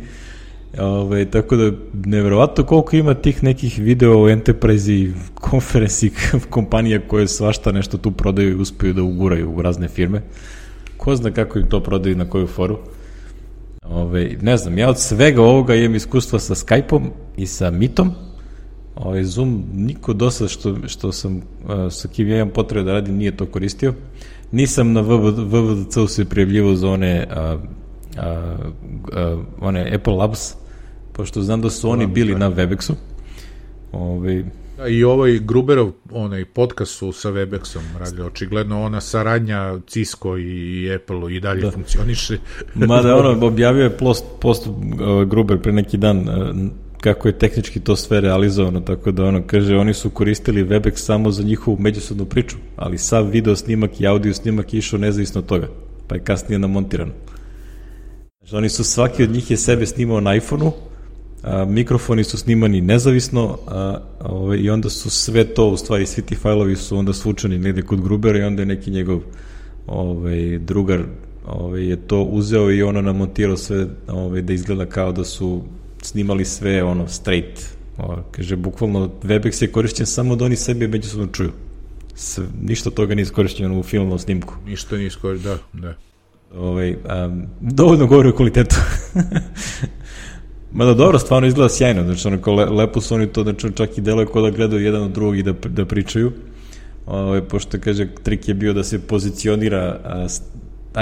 Ove, tako da nevjerovatno koliko ima tih nekih video enterprise i konferenci kompanija koje svašta nešto tu prodaju i uspeju da uguraju u razne firme. Ko zna kako im to prodaju, na koju foru. Ove, ne znam, ja od svega ovoga imam iskustva sa Skype-om i sa Meetom. Ove, Zoom niko do sada što, što sam sa kim ja imam potrebe da radim nije to koristio. Nisam na V V D C-u se prijavljivo za one a, a, a, one Apple Labs, pošto znam da su oni bili na Webexu. Ove... Da, i ovaj Gruberov onaj podcast su sa Webexom radili, očigledno ona saradnja Cisco i Apple i dalje da. funkcioniše. Mada ono, objavio je post, post uh, Gruber pre neki dan uh, kako je tehnički to sve realizovano, tako da ono kaže, oni su koristili Webex samo za njihovu međusobnu priču, ali sav video snimak i audio snimak je išao nezavisno od toga, pa je kasnije namontirano. Znači, oni su, svaki od njih je sebe snimao na iPhone-u, a, mikrofoni su snimani nezavisno a, ove, i onda su sve to, u stvari svi ti fajlovi su onda svučeni negde kod Grubera i onda je neki njegov ove, drugar ove, je to uzeo i ono namontirao sve ove, da izgleda kao da su snimali sve ono straight. Ove, kaže, bukvalno Webex je korišćen samo da oni sebe međusobno čuju. Sve, ništa toga nije iskorišćeno u filmnom snimku. Ništa nije iskorišćeno, da, da. Ovaj, um, dovoljno govori o kvalitetu. Mada dobro, stvarno izgleda sjajno, znači onako le, lepo su oni to, znači čak i deluje kao da gledaju jedan od drugog i da, da pričaju. Ovaj, pošto kaže, trik je bio da se pozicionira a,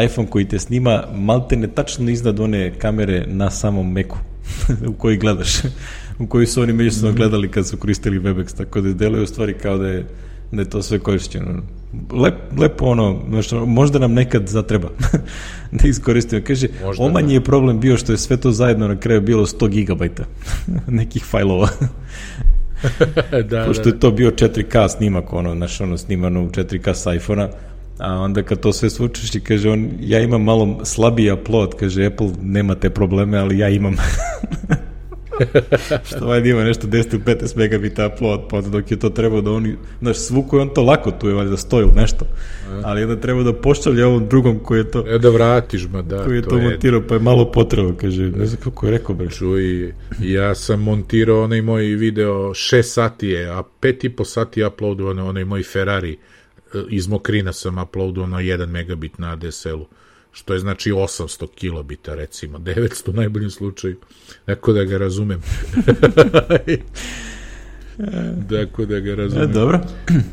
iPhone koji te snima malte ne tačno iznad one kamere na samom Macu u koji gledaš, u koji su oni međusobno gledali kad su koristili Webex, tako da deluje u stvari kao da je da je to sve korišćeno. Lep, lepo ono, znači, možda nam nekad zatreba da iskoristimo. Kaže, možda omanji da. Je problem bio što je sve to zajedno na kraju bilo sto gigabajta nekih fajlova. da, pošto je to bio četiri ka snimak, ono, znaš, ono, snimano u četiri ka s iPhona, a onda kad to sve svučeš i kaže on, ja imam malo slabiji upload, kaže Apple, nema te probleme, ali ja imam. Što valjda ima nešto deset do petnaest megabita upload, pa dok je to trebao da oni, znaš, svuku je on to lako, tu je valjda stoji ili nešto, ali onda treba da pošalje ovom drugom koji je to... E da vratiš, ma da. Koji je to, to montirao, pa je malo potrebno, kaže, ne znam kako je rekao, bre. Čuj, ja sam montirao onaj moj video, šest sati je, a pet i po sati uploadovano onaj moj Ferrari, iz Mokrina sam uploadovano jedan megabit na A D S L-u. Što je znači osamsto kilobita, recimo, devetsto u najboljem slučaju. Tako da ga razumem. Tako da ga razumem. E, dobro.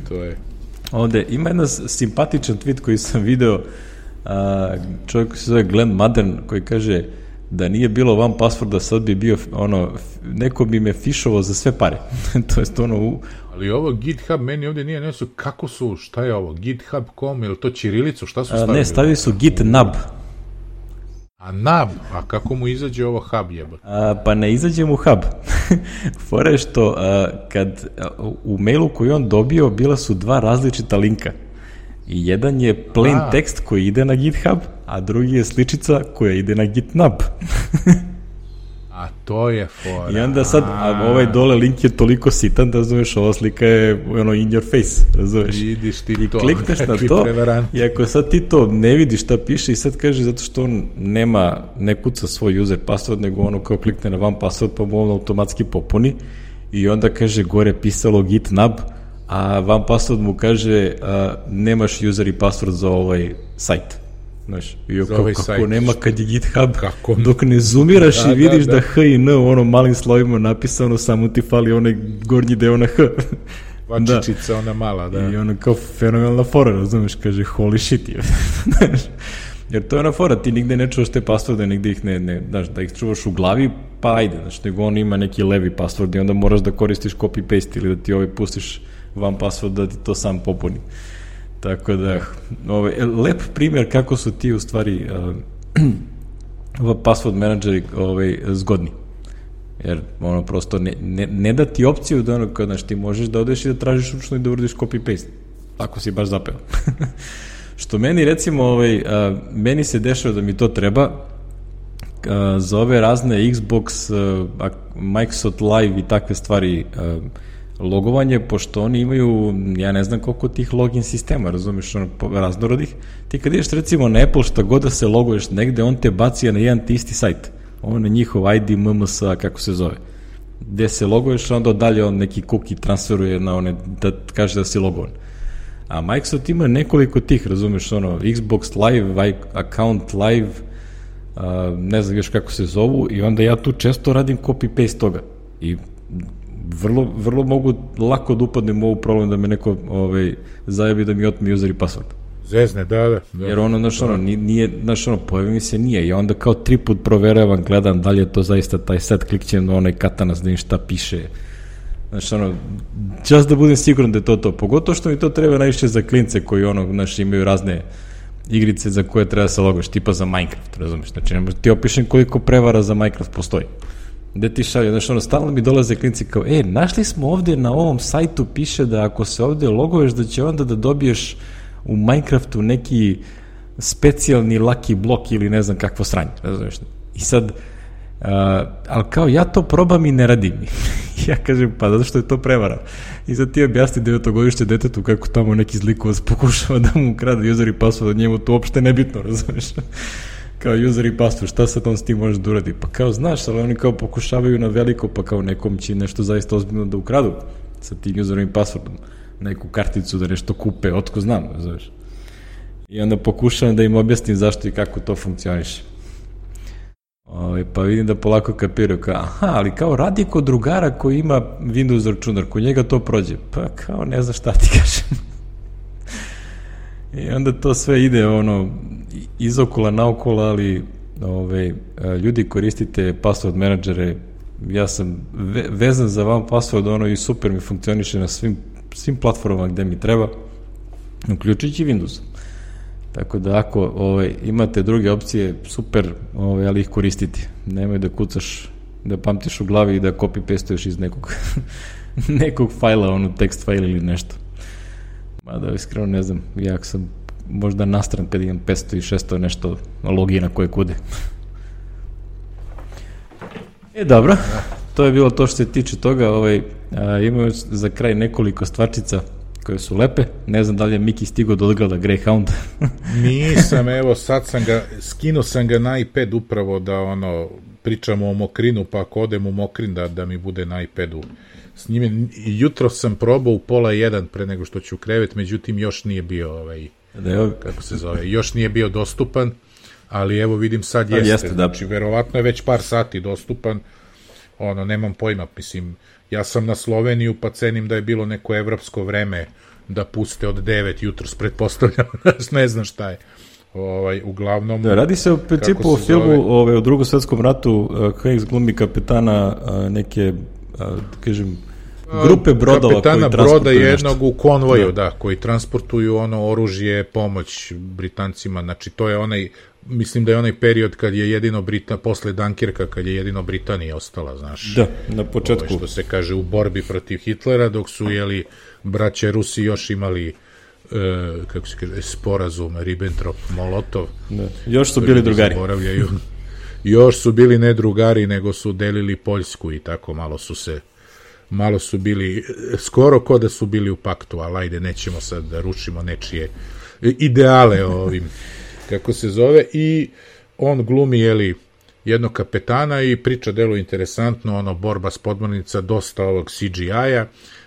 To je. Ovde ima jedan simpatičan tweet koji sam video, a, čovjek koji se zove Glenn Madden, koji kaže da nije bilo one passworda, sad bi bio, ono, neko bi me fišovao za sve pare. To jest ono u... Ali ovo GitHub meni ovdje nije nesu, kako su, šta je ovo, github dot com, ili to ćirilicu, šta su stavili? A, ne, stavili su GitNub. A nab, a kako mu izađe ovo hub jeba? A, pa ne izađe mu hub. Fora je što a, kad a, u mailu koji on dobio bila su dva različita linka. I jedan je plain a. tekst koji ide na GitHub, a drugi je sličica koja ide na GitNub. A to je fora. I onda sad, a ovaj dole link je toliko sitan da, razumeš, ova slika je ono in your face, razumeš. Vidiš ti I to. I klikneš na to, i ako sad ti to ne vidiš šta piše i sad kaže zato što on nema, ne kuca svoj user password, nego ono kao klikne na one password pa mu on automatski popuni i onda kaže gore pisalo GitNub, a one password mu kaže a, nemaš user i password za ovaj sajt. Znaš, i kako, ovaj kako nema kad je GitHub, kako? Dok ne zoomiraš da, i vidiš da, da. da H i N u onom malim slovima napisano, samo ti fali onaj gornji deo na H. Vačičica, da. Ona mala, da. I ona kao fenomenalna fora, razumeš, kaže holy shit. Jer to je ona fora, ti nigde ne čuvaš te passworde, nigde ih ne, ne, znaš, da ih čuvaš u glavi, pa ajde, znaš, nego on ima neki levi password i onda moraš da koristiš copy-paste ili da ti ovaj pustiš one password da ti to sam popuni. Tako da, ovaj, lep primjer kako su ti u stvari uh, password menadžeri ovaj, zgodni. Jer ono prosto ne, ne, ne da ti opciju da ono, znaš, ti možeš da odeš i da tražiš ručno i da uradiš copy-paste. Tako si baš zapeo. Što meni recimo, ovaj, uh, meni se dešava da mi to treba uh, za ove razne Xbox, uh, Microsoft Live i takve stvari, uh, logovanje, pošto oni imaju, ja ne znam koliko tih login sistema, razumiješ, ono, raznorodih. Ti kad ideš recimo na Apple, šta god da se loguješ negde, on te baci na jedan ti isti sajt. On je njihov I D, M M S, kako se zove. Gde se loguješ, onda dalje on neki cookie transferuje na one, da kaže da si logovan. A Microsoft ima nekoliko tih, razumiješ, ono, Xbox Live, Account Live, uh, ne znam još kako se zovu, i onda ja tu često radim copy-paste toga. I vrlo, vrlo mogu lako da upadnem u ovu problem da me neko ovaj, zajebi da mi otme user i password. Zezne, da, da. da. Jer ono, znaš, ono, nije, znaš, ono, pojavi mi se nije. I onda kao tri put proveravam, gledam da li je to zaista taj set, klikćem na onaj katanas da im šta piše. Znaš, ono, just da budem siguran da je to to. Pogotovo što mi to treba najviše za klince koji, ono, znaš, imaju razne igrice za koje treba da se logoš, tipa za Minecraft, razumiješ? Znači, ti opišem koliko prevara za Minecraft postoji. Gde ti šalje, znaš, ono, stalno mi dolaze klinci kao, e, našli smo ovde na ovom sajtu, piše da ako se ovde loguješ, da će onda da dobiješ u Minecraftu neki specijalni lucky blok ili ne znam kakvo sranje, razumiješ? I sad, uh, ali kao ja to probam i ne radim. Ja kažem, pa zato što je to prevara. I sad ti objasni devetogodišnje detetu kako tamo neki zlikovac pokušava da mu ukrade user i password, njemu to uopšte nebitno, razumiješ? Kao user i password, šta sad on s tim možeš da uradi? Pa kao, znaš, ali oni kao pokušavaju na veliko, pa kao nekom će nešto zaista ozbiljno da ukradu sa tim userom i passwordom, neku karticu da nešto kupe, otko znam, znaš. I onda pokušavam da im objasnim zašto i kako to funkcioniše. Ove, pa vidim da polako kapiraju, kao, aha, ali kao radi kod drugara koji ima Windows računar, kod njega to prođe. Pa kao, ne znam šta ti kažem. I onda to sve ide ono izokola, naokola, ali ove, ljudi koristite password menadžere, ja sam ve, vezan za vam password ono i super mi funkcioniše na svim svim platformama gde mi treba, uključujući Windows. Tako da ako ovaj, imate druge opcije, super, ovaj, ali ih koristiti. Nemoj da kucaš, da pamtiš u glavi i da copy-pastuješ iz nekog, nekog fajla, ono tekst fajl ili nešto. Mada, iskreno ne znam, ja sam možda nastran kad imam petsto i šesto nešto logina koje kude. E, dobro, to je bilo to što se tiče toga. Ovaj, a, imamo za kraj nekoliko stvarčica koje su lepe. Ne znam da li je Miki stigao da odgleda Greyhound. Nisam, evo, sad sam ga, skinuo sam ga na iPad upravo da, ono, pričamo o Mokrinu, pa ako odem u Mokrin da, da mi bude na iPadu s njime. Jutro sam probao u pola jedan pre nego što ću u krevet, međutim još nije bio, ovaj, da je, kako se zove, još nije bio dostupan, ali evo vidim sad jeste, jeste da. Znači verovatno je već par sati dostupan, ono, nemam pojma, mislim, ja sam na Sloveniju pa cenim da je bilo neko evropsko vreme da puste od devet jutros, pretpostavljam, ne znam šta je. Ovaj, uglavnom... Da, radi se u principu o filmu ovaj, o drugom svetskom ratu, Hanks glumi kapetana neke, da kažem, grupe brodova kapetana koji transportuju broda jednog nešto. U konvoju, da. da, koji transportuju ono oružje, pomoć Britancima, znači to je onaj, mislim da je onaj period kad je jedino Britanija, posle Dunkirka, kad je jedino Britanija ostala, znaš. Da, na početku. Ovo što se kaže u borbi protiv Hitlera, dok su, jeli, braće Rusi još imali Uh, kako se kaže, sporazum Ribbentrop-Molotov. Da. Još su bili drugari. Još su bili ne drugari, nego su delili Poljsku i tako malo su se, malo su bili, skoro ko da su bili u paktu, ali ajde, nećemo sad da rušimo nečije ideale ovim, kako se zove, i on glumi, jeli, jednog kapetana i priča delu interesantno, ono, borba s podmornica, dosta ovog C G I-a.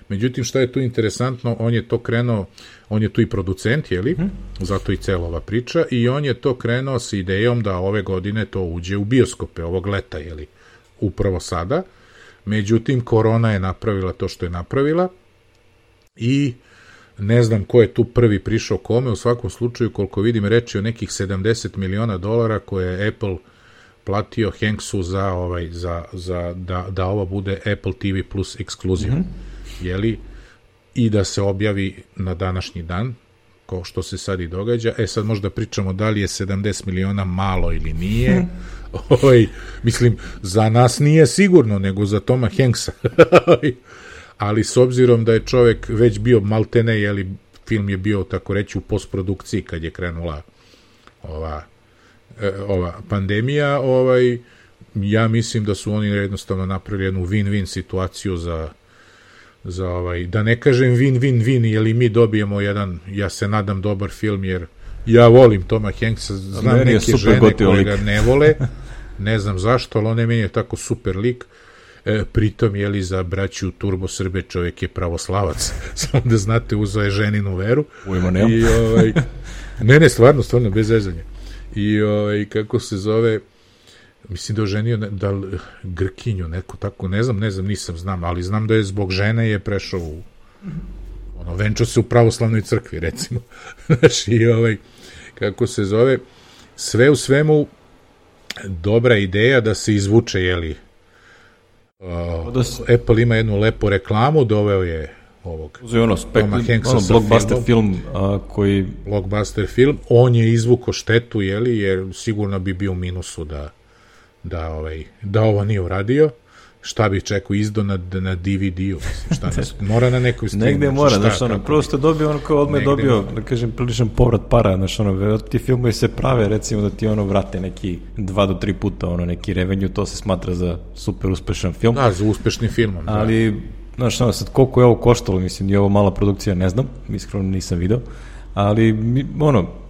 Međutim, šta je tu interesantno, on je to krenuo, on je tu i producent, jeli, hmm. zato i cela ova priča, i on je to krenuo sa idejom da ove godine to uđe u bioskope, ovog leta, jeli, upravo sada. Međutim, korona je napravila to što je napravila i ne znam ko je tu prvi prišao kome, u svakom slučaju, koliko vidim, reči o nekih sedamdeset miliona dolara koje je Apple platio Hanksu za, ovaj, za, za da, da ovo bude Apple T V Plus ekskluziv. Hmm. Jeli, i da se objavi na današnji dan, kao što se sad i događa. E sad možda pričamo da li je sedamdeset miliona malo ili nije. Hmm. Oj, mislim, za nas nije sigurno, nego za Toma Hanksa. Ali s obzirom da je čovek već bio maltene, jeli, film je bio, tako reći, u postprodukciji kad je krenula ova, ova pandemija, ovaj, ja mislim da su oni jednostavno napravili jednu win-win situaciju za za ovaj, da ne kažem win-win-win, jer mi dobijemo jedan, ja se nadam, dobar film, jer ja volim Toma Hanksa, znam neke žene koje ga ne vole, ne znam zašto, ali on je meni tako super lik, e, pritom, jeli, za braću Turbo Srbe čovjek je pravoslavac, samo da znate, uzeo je ženinu veru. Ujmo, nema. I, ovaj, ne, ne, stvarno, stvarno, bez zezanja. I, ovaj, kako se zove, mislim da je oženio da Grkinju, neko tako, ne znam, ne znam, nisam znam, ali znam da je zbog žene je prešao u, ono, venčao se u pravoslavnoj crkvi, recimo. Znači, i ovaj, kako se zove, sve u svemu dobra ideja da se izvuče, jeli, uh, Apple ima jednu lepu reklamu, doveo je ovog Uzeo ono, spek, ono blockbuster film, a, koji... Blockbuster film, on je izvuko štetu, jeli, jer sigurno bi bio u minusu da da ovaj da ovo nije uradio, šta bih čekao, izdo na, na D V D-u, mislim, šta nas, mora na nekoj streamu. Negde mora, znaš, ono, prosto dobio ono kao odme dobio, da kažem, priličan povrat para, znaš, ono, ti filmovi se prave, recimo da ti ono vrate neki dva do tri puta, ono, neki revenue, to se smatra za super uspešan film. Da, za uspešnim filmom. Ali, da. Znaš, ono, sad koliko je ovo koštalo, mislim, je ovo mala produkcija, ne znam, iskreno nisam video, ali, ono,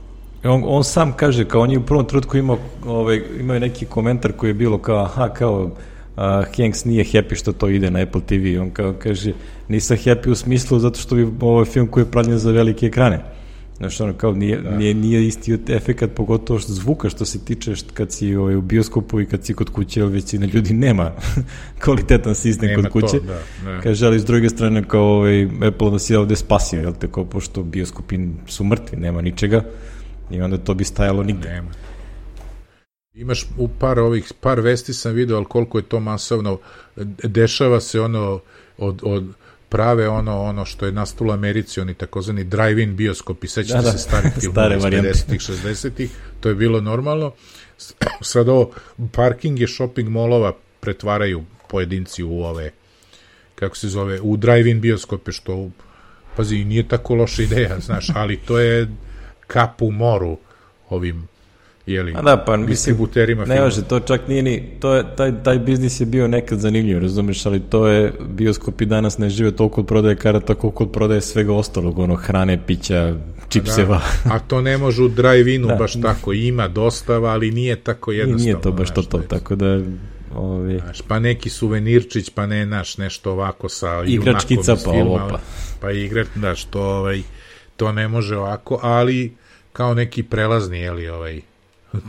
On, on sam kaže, kao on je u prvom trenutku imao, ovaj, imao je neki komentar koji je bilo kao, aha, kao, uh, Hanks nije happy što to ide na Apple T V. On kao kaže, nisam happy u smislu zato što bi ovaj film koji je pravljen za velike ekrane. Znaš, ono, kao, nije, da. nije, nije isti efekat, pogotovo što zvuka što se tiče što kad si ovaj, u bioskopu i kad si kod kuće, većina ljudi nema kvalitetan sistem nema kod kuće. To, da, kaže, ali s druge strane, kao ovaj, Apple nas je ovde spasio, jel te, kao, pošto bioskopi su mrtvi, nema ničega. I onda to bi stajalo nigde. Nema. Imaš u par ovih, par vesti sam video, ali koliko je to masovno, dešava se ono od, od prave ono ono što je nastalo u Americi, oni takozvani drive-in bioskopi, sećate da, da. se starih filmova iz pedesetih, šezdesetih, to je bilo normalno. Sad ovo, parkinge shopping molova pretvaraju pojedinci u ove, kako se zove, u drive-in bioskope, što, pazi, nije tako loša ideja, znaš, ali to je kap u moru ovim, jeli, da, pa, distributerima filma. Ne može, to čak nije ni, to je, taj, taj biznis je bio nekad zanimljiv, razumeš, ali to je, bioskopi danas ne žive toliko od prodaje karata, koliko od prodaje svega ostalog, ono, hrane, pića, čipseva. Da, a to ne može u drive-inu da, baš tako, ima dostava, ali nije tako jednostavno. Nije to baš to to, tako da... Ovi... Znaš, pa neki suvenirčić, pa ne, naš, nešto ovako sa igračkica, pa ovo, pa. Pa igrač, znaš, to, ovaj, to ne može ovako, ali kao neki prelazni, jeli, ovaj,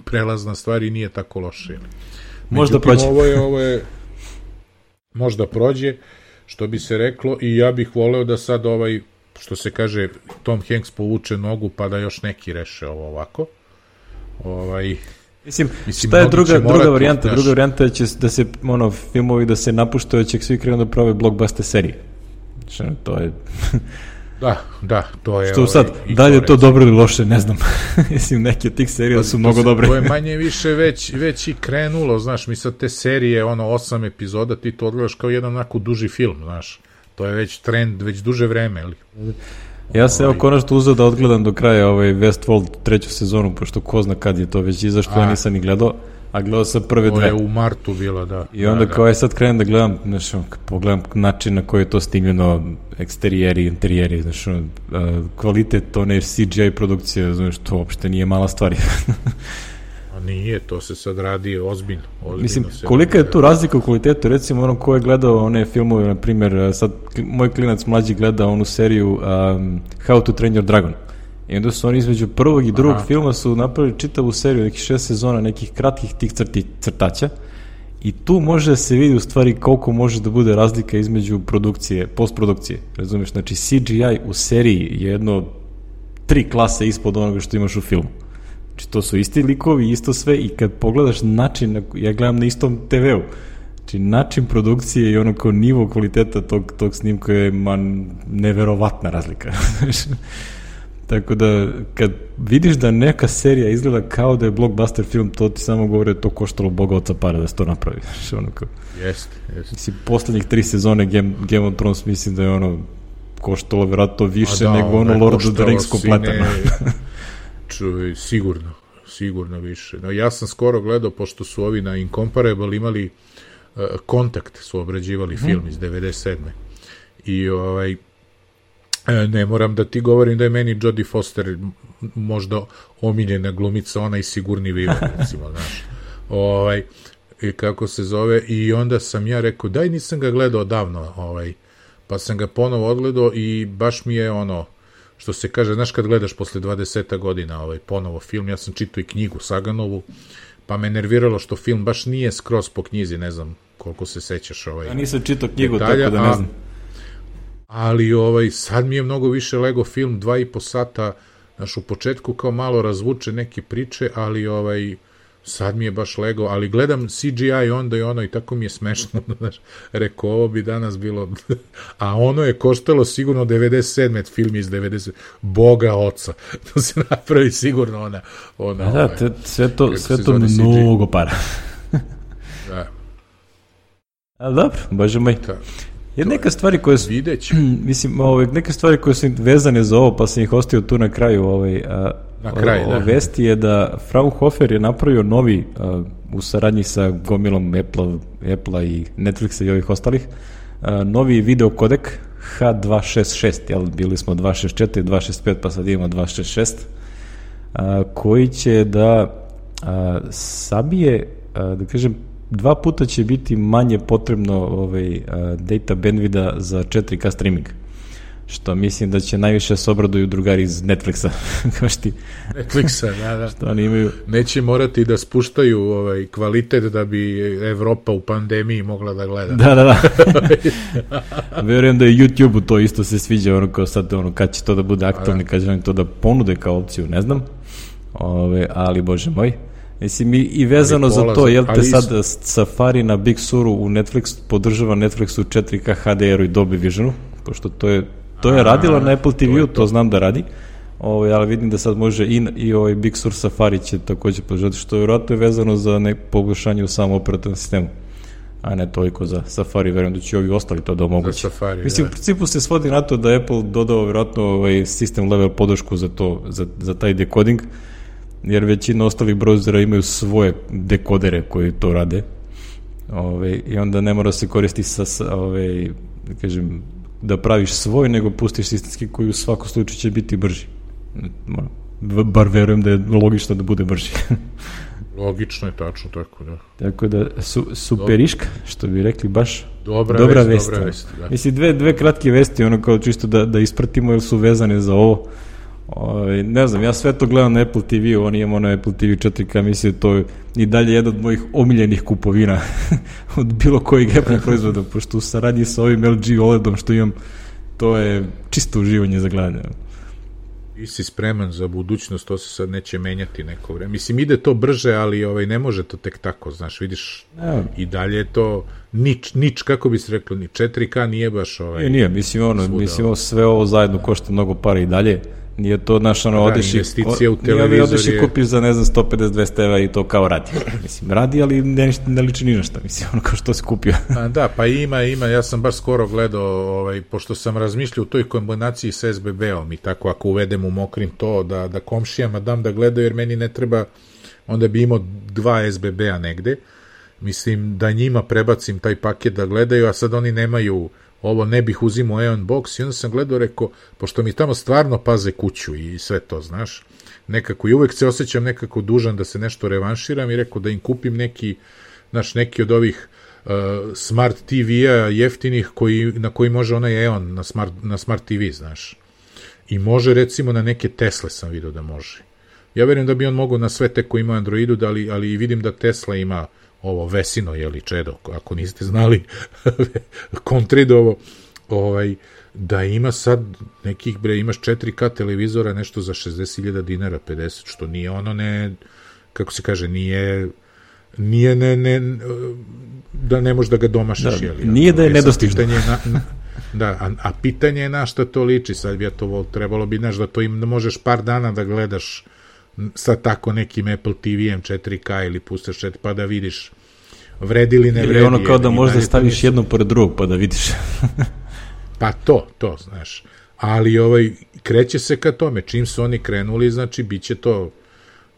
prelazna stvar i nije tako loše. Možda prođe. Ovo je, ovo je, možda prođe, što bi se reklo, i ja bih voleo da sad ovaj, što se kaže, Tom Hanks povuče nogu, pa da još neki reše ovo ovako. Ovaj... Mislim, Mislim, šta je druga, druga varijanta? Druga varijanta je će da se, ono, filmovi da se napuštaju, će svi krenu da prave blockbuster serije. Što, to je... Da, da, to je... Što sad, ovaj, da li je to dobro ili loše, ne znam. Mislim, neke od tih serija pa, su mnogo se, dobre. To je manje više već, već i krenulo, znaš, mi sad te serije, ono, osam epizoda, ti to odgledaš kao jedan onako duži film, znaš. To je već trend, već duže vreme, ali... Ja se evo konačno uzeo da odgledam do kraja ovaj Westworld treću sezonu, pošto ko zna kad je to već izašlo, ja nisam ni gledao, a gledao sam prve dve. To je u martu bilo, da. I onda da, kao da. je sad krenem da gledam, znaš, pogledam način na koji je to snimljeno, eksterijeri, interijeri, znaš, kvalitet one C G I produkcije, znaš, to uopšte nije mala stvar. A nije, to se sad radi ozbiljno. ozbiljno Mislim, kolika je tu razlika u kvalitetu, recimo ono ko je gledao one filmove, na primjer, sad moj klinac mlađi gleda onu seriju um, How to Train Your Dragon. I onda su oni između prvog i drugog Aha. filma su napravili čitavu seriju, nekih šest sezona, nekih kratkih tih crti, crtaća. I tu može da se vidi u stvari koliko može da bude razlika između produkcije, postprodukcije. Razumiješ, znači C G I u seriji je jedno tri klase ispod onoga što imaš u filmu. Znači, to su isti likovi, isto sve, i kad pogledaš način, ja gledam na istom te veu, znači način produkcije i ono kao nivo kvaliteta tog, tog snimka je man, neverovatna razlika. Tako da, kad vidiš da neka serija izgleda kao da je blockbuster film, to ti samo govore da to koštalo Boga oca para da se to napravi. Znači, ono kao... Jeste, jeste. Mislim, poslednjih tri sezone Game, Game of Thrones mislim da je ono koštalo vjerojatno više da, nego ono Lord of the Rings kompletno. Čuj, sigurno, sigurno više. No, ja sam skoro gledao, pošto su ovi na Incomparable imali uh, Kontakt, su obrađivali mm. film iz devedeset sedme. I ovaj, ne moram da ti govorim da je meni Jodie Foster možda omiljena glumica, ona i Sigurni Vivan, recimo, znaš. Ovaj, i kako se zove, i onda sam ja rekao, daj, nisam ga gledao davno, ovaj, pa sam ga ponovo odgledao i baš mi je ono, što se kaže, znaš kad gledaš posle dvadeset godina ovaj, ponovo film, ja sam čitao i knjigu Saganovu, pa me nerviralo što film baš nije skroz po knjizi, ne znam koliko se sećaš. Ovaj, ja nisam čitao knjigu, detalja, tako da ne znam. A, ali ovaj, sad mi je mnogo više lego film, dva i po sata, znaš, u početku kao malo razvuče neke priče, ali ovaj, sad mi je baš lego, ali gledam C G I onda i ono i tako mi je smešno, znaš, rekao, ovo bi danas bilo, a ono je koštalo sigurno devedeset sedme film iz devedeset Boga oca, to se napravi sigurno ona, ona da, ovaj, te, sve to, sve to mnogo para. Da. Ali dobro, bože moj. Da. Jer neka stvari koje su, mislim, ovaj, neke stvari koje su vezane za ovo, pa sam ih ostio tu na kraju, ovaj, a, na kraju, o, o vesti je da Fraunhofer je napravio novi, a, u saradnji sa gomilom Apple, Apple i Netflixa i ovih ostalih, a, novi video kodek H dvesta šezdeset šest, jel, bili smo dvesta šezdeset četiri, dvesta šezdeset pet, pa sad imamo dvesta šezdeset šest, a, koji će da a, sabije, a, da kažem, dva puta će biti manje potrebno ovaj, uh, data bandwidth za četiri K streaming. Što mislim da će najviše se obraduju drugari iz Netflixa. Kao šti. Netflixa, da, da. Što oni imaju... Neće morati da spuštaju ovaj, kvalitet da bi Evropa u pandemiji mogla da gleda. Da, da, da. Verujem da je YouTube-u to isto se sviđa, ono kao sad, ono, kad će to da bude aktualni, kad će oni to da ponude kao opciju, ne znam. Ove, ali, bože moj. Mislim, i, i vezano za to, jel te sad Safari na Big Suru u Netflix podržava Netflix u četiri K H D R-u i Dolby Visionu, pošto to je, to je radilo na Apple T V-u, to, to znam da radi, ovaj, ali vidim da sad može i, i ovaj Big Sur Safari će takođe podržati, što je vjerojatno vezano za nek poboljšanje u samom operativnom sistemu, a ne toliko za Safari, verujem da će ovi ostali to da omogući. Mislim, da. U principu se svodi na to da Apple dodao vjerojatno ovaj system level podršku za to, za, za taj decoding, jer većina ostalih browsera imaju svoje dekodere koji to rade. Ove, i onda ne mora se koristiti sa, ove, da kažem, da praviš svoj, nego pustiš sistemski koji u svakom slučaju će biti brži. Bar verujem da je logično da bude brži. Logično je, tačno, tako da. Tako da, su, superiška, što bi rekli, baš dobra, dobra vest, vest. Dobra vest, da. Mislim, dve, dve kratke vesti, ono kao čisto da, da ispratimo, jer su vezane za ovo. Ove, ne znam, ja sve to gledam na Apple T V-u, on imamo na Apple T V četiri K, mislim, to je i dalje jedan od mojih omiljenih kupovina od bilo kojeg Apple proizvoda, pošto u saradnji sa ovim L G O L E D-om što imam, to je čisto uživanje za gledanje. Ti si spreman za budućnost, to se sad neće menjati neko vreme. Mislim, ide to brže, ali ovaj, ne može to tek tako, znaš, vidiš, ja. I dalje je to nič, nič, kako bi se reklo, ni četiri K nije baš ovaj... Nije, nije, mislim, ono, mislim, sve ovo zajedno košta mnogo para i dalje. Nije to naš ono, odeš i odeš i kupiš za, ne znam, sto pedeset do dvesta evra i to kao radi. Mislim, radi, ali ne, ne liči ni na šta, mislim, ono kao što se kupio. A, da, pa ima, ima, ja sam baš skoro gledao, ovaj, pošto sam razmišljao u toj kombinaciji s S B B-om i tako, ako uvedem u Mokrim to, da, da komšijama dam da gledaju, jer meni ne treba, onda bi imao dva S B B-a negde, mislim, da njima prebacim taj paket da gledaju, a sad oni nemaju ovo, ne bih uzimao Aeon Box i onda sam gledao, rekao, pošto mi tamo stvarno paze kuću i sve to, znaš, nekako i uvek se osjećam nekako dužan da se nešto revanširam i rekao da im kupim neki, znaš, neki od ovih uh, smart T V-a jeftinih koji, na koji može onaj Aeon na smart, na smart T V, znaš. I može, recimo, na neke Tesle sam vidio da može. Ja verujem da bi on mogao na sve te koji ima Androidu, da li, ali vidim da Tesla ima ovo Vesino, jeli, čedo, ako niste znali, Kontridovo, ovaj, da ima sad nekih, bre, imaš četiri K televizora, nešto za šezdeset hiljada dinara, pedeset, što nije ono, ne, kako se kaže, nije, nije, ne, ne, da ne možeš da ga domašiš, da, jeli. Nije da je nedostižno. Na, na, da, a, a pitanje je na šta to liči, sad bi ja to trebalo bi, znaš, da to im, da možeš par dana da gledaš sa tako nekim Apple T V-em četiri K ili pustaš četiri, pa da vidiš vredi li ne vredi. Ili ono kao da možda staviš nisu... jedno pored drugog pa da vidiš. Pa to, to, znaš. Ali ovaj, kreće se ka tome. Čim su oni krenuli, znači, bit će to,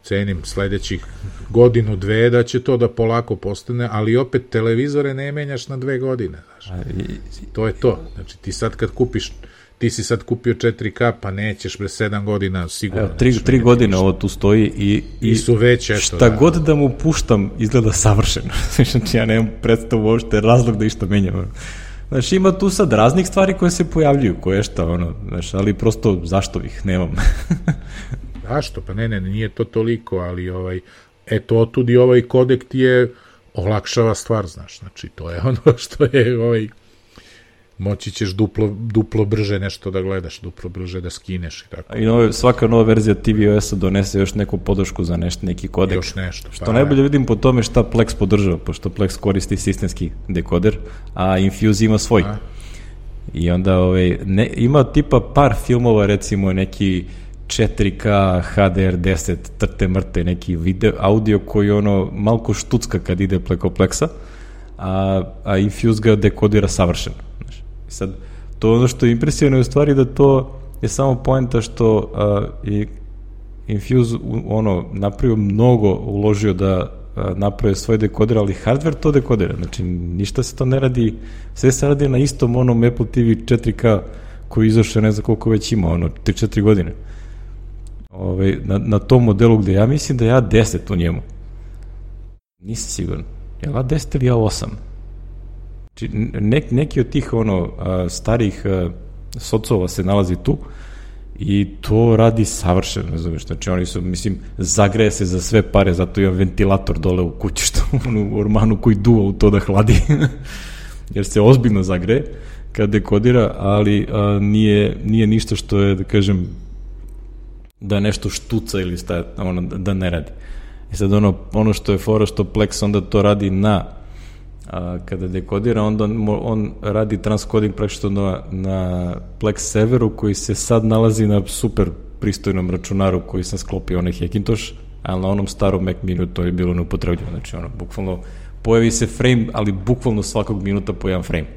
cenim, sledećih godinu, dve, da će to da polako postane, ali opet televizore ne menjaš na dve godine, znaš. To je to. Znači, ti sad kad kupiš ti si sad kupio četiri K, pa nećeš pre sedam godina sigurno. Evo, tri, tri godine ovo tu stoji i, i, I su već, eto, šta da. God da mu puštam izgleda savršeno. Znači, ja nemam predstavu uopšte razlog da išta menjam. Znači, ima tu sad raznih stvari koje se pojavljuju, koje šta, ono, znači, ali prosto zašto ih nemam. Zašto? Pa ne, ne, nije to toliko, ali ovaj, eto, otud i ovaj kodek ti je olakšava stvar, znaš, znači, to je ono što je ovaj, moći ćeš duplo, duplo brže nešto da gledaš, duplo brže da skineš i tako. I nove, svaka nova verzija T V O S-a donese još neku podršku za nešto, neki kodek. Još nešto. Što pa, najbolje vidim po tome šta Plex podržava, pošto Plex koristi sistemski dekoder, a Infuse ima svoj. A? I onda ovaj, ne, ima tipa par filmova, recimo neki četiri K, H D R deset, trte mrte, neki video, audio koji ono malko štucka kad ide preko Plexa, a, a Infuse ga dekodira savršeno. Sad, to ono što je impresivno je u stvari da to je samo poenta što uh, i Infuse ono, napravio mnogo, uložio da uh, napravio svoj dekoder, ali hardware to dekodira, znači ništa se to ne radi, sve se radi na istom onom Apple T V četiri K koji izašao ne znam koliko već ima, ono, tri četiri godine. Ove, na, na tom modelu gde ja mislim da ja deset u njemu. Nisam siguran. Je li ja deset ili ja osam? Ne, neki od tih ono a, starih a, socova se nalazi tu i to radi savršeno, ne znam, znači oni su, mislim, zagreje se za sve pare, zato imam ventilator dole u kući, što u ormanu koji duva u to da hladi, jer se ozbiljno zagreje kad dekodira, ali a, nije, nije ništa što je, da kažem, da nešto štuca ili staje, ono, da ne radi. I sad ono, ono što je fora, što Plex onda to radi na a kada dekodira, onda on, on radi transcoding praktično na, na Plex serveru koji se sad nalazi na super pristojnom računaru koji sam sklopio onaj Hackintosh, ali na onom starom Mac Mini to je bilo neupotrebljivo, znači ono, bukvalno pojavi se frame, ali bukvalno svakog minuta po jedan frame.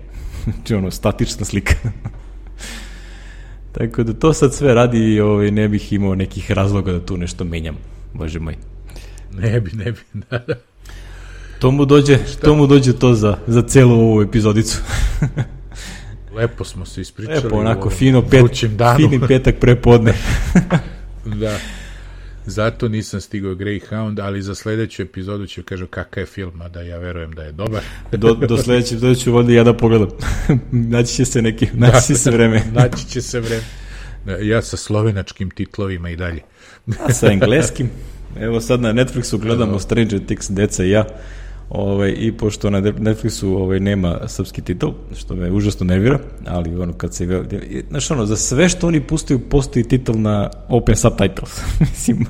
Znači ono, statična slika. Tako da to sad sve radi i ovaj, ne bih imao nekih razloga da tu nešto menjam, bože moj. Ne bi, ne bi, da, da. To mu dođe, to mu dođe to za, za celu ovu epizodicu. Lepo smo se ispričali. Lepo, onako, fino pet, fini petak prepodne. Da. Zato nisam stigao Greyhound, ali za sledeću epizodu ću kažu kakav je film, a da ja verujem da je dobar. do, do sledeće epizode ću ovdje ja da pogledam. Naći će se neki, naći će se vreme. Naći će se vreme. Ja sa slovenačkim titlovima i dalje. A sa engleskim. Evo sad na Netflixu gledamo Stranger Things, deca i ja. Ovaj, i pošto na Netflixu ovaj, nema srpski titul, što me užasno nervira, ali ono kad se... Znaš ono, za sve što oni pustaju, postoji titul na Open Subtitles. Mislim,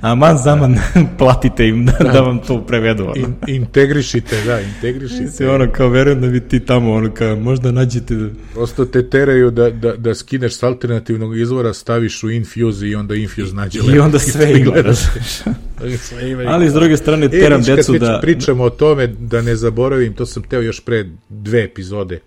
aman zaman platite im da, da vam to prevedu. Ono. In, integrišite, da, integrišite. Mislim, ono, kao verujem da bi ti tamo, ono, kao možda nađete... Da... Prosto te teraju da, da, da skineš s alternativnog izvora, staviš u Infuse i onda Infuse nađe lepo. I onda sve gledaš. Ali s druge strane teram e, decu da... Pričamo o tome, da ne zaboravim, to sam teo još pre dve epizode.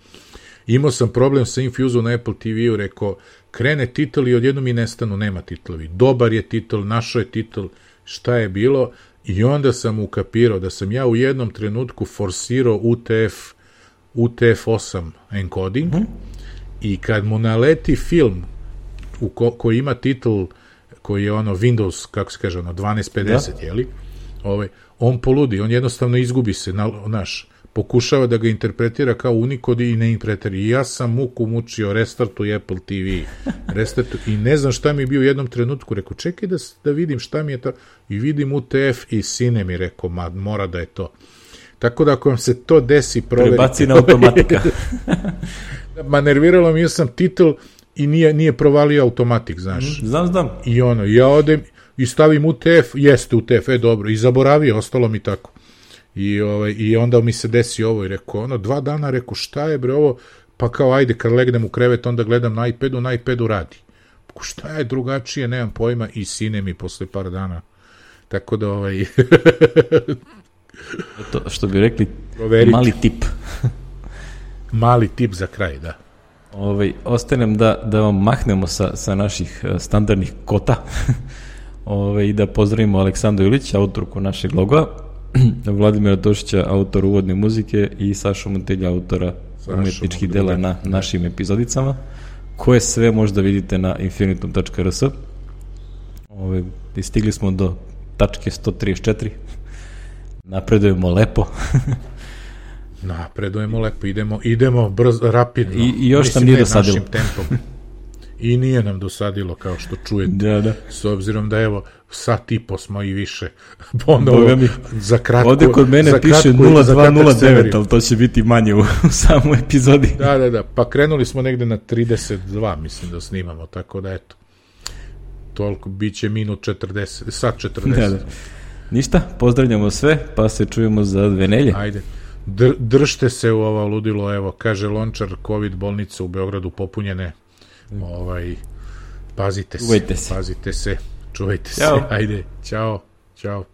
Imao sam problem sa Infuse na Apple T V-u, rekao, krene titl i odjednom mi nestanu, nema titlovi. Dobar je titl, našo je titl, šta je bilo, i onda sam ukapirao da sam ja u jednom trenutku forsirao U T F U T F osam encoding mm-hmm. i kad mu naleti film u ko, koji ima titl koji je ono Windows, kako se kaže, ono dvanaest pedeset, da. Jeli? Ovaj, on poludi, on jednostavno izgubi se, na, naš, pokušava da ga interpretira kao Unicode i ne interpretira. I ja sam muku mučio, restartuj Apple T V, restartuj, i ne znam šta mi je bio u jednom trenutku, rekao, čekaj da, da vidim šta mi je to, i vidim U T F i sine mi rekao, ma, mora da je to. Tako da ako vam se to desi, proverite. Prebaci na automatika. Ma nerviralo mi, ja sam titl i nije, nije provalio automatik, znaš. Znam, znam. I ono, ja odem i stavim U T F, jeste U T F, e dobro, i zaboravio, ostalo mi tako. I, ovaj, i onda mi se desi ovo i rekao, ono, dva dana, rekao, šta je bre ovo, pa kao, ajde, kad legnem u krevet, onda gledam na iPadu, na iPadu radi. Pa šta je drugačije, nemam pojma, i sine mi posle par dana. Tako da, ovaj... to, što bi rekli, proveriti. Mali tip. Mali tip za kraj, da. Ovaj, ostanem da, da vam mahnemo sa, sa naših standardnih kota. Ove, i da pozdravimo Aleksandru Ilića, autorku našeg logoa, Vladimira Tošića, autor uvodne muzike, i Sašu Montelja, autora Sašo umetničkih dela na našim epizodicama, koje sve možda vidite na infinitum tačka r s. Ove, stigli smo do tačke sto trideset četiri. Napredujemo lepo. Napredujemo lepo, idemo, idemo brzo, rapidno. I, i još nam nije dosadilo. Tempom. I nije nam dosadilo, kao što čujete. Da, da. S obzirom da, evo, sat i po smo i više. Ponovo, mi, za kratko... Ovde kod mene piše nula dva nula devet, ali to će biti manje u, u samoj epizodi. Da, da, da. Pa krenuli smo negde na trideset dva, mislim da snimamo, tako da, eto. Toliko, bit će minut četrdeset, sat četrdeset. Da, da. Ništa, pozdravljamo sve, pa se čujemo za dve nelje. Ajde. Dr, držte se u ovo ludilo, evo, kaže Lončar, COVID bolnica u Beogradu popunjene. Ovaj, pazite se, se, pazite se, čuvajte Ćao. se, ajde, čao, čao.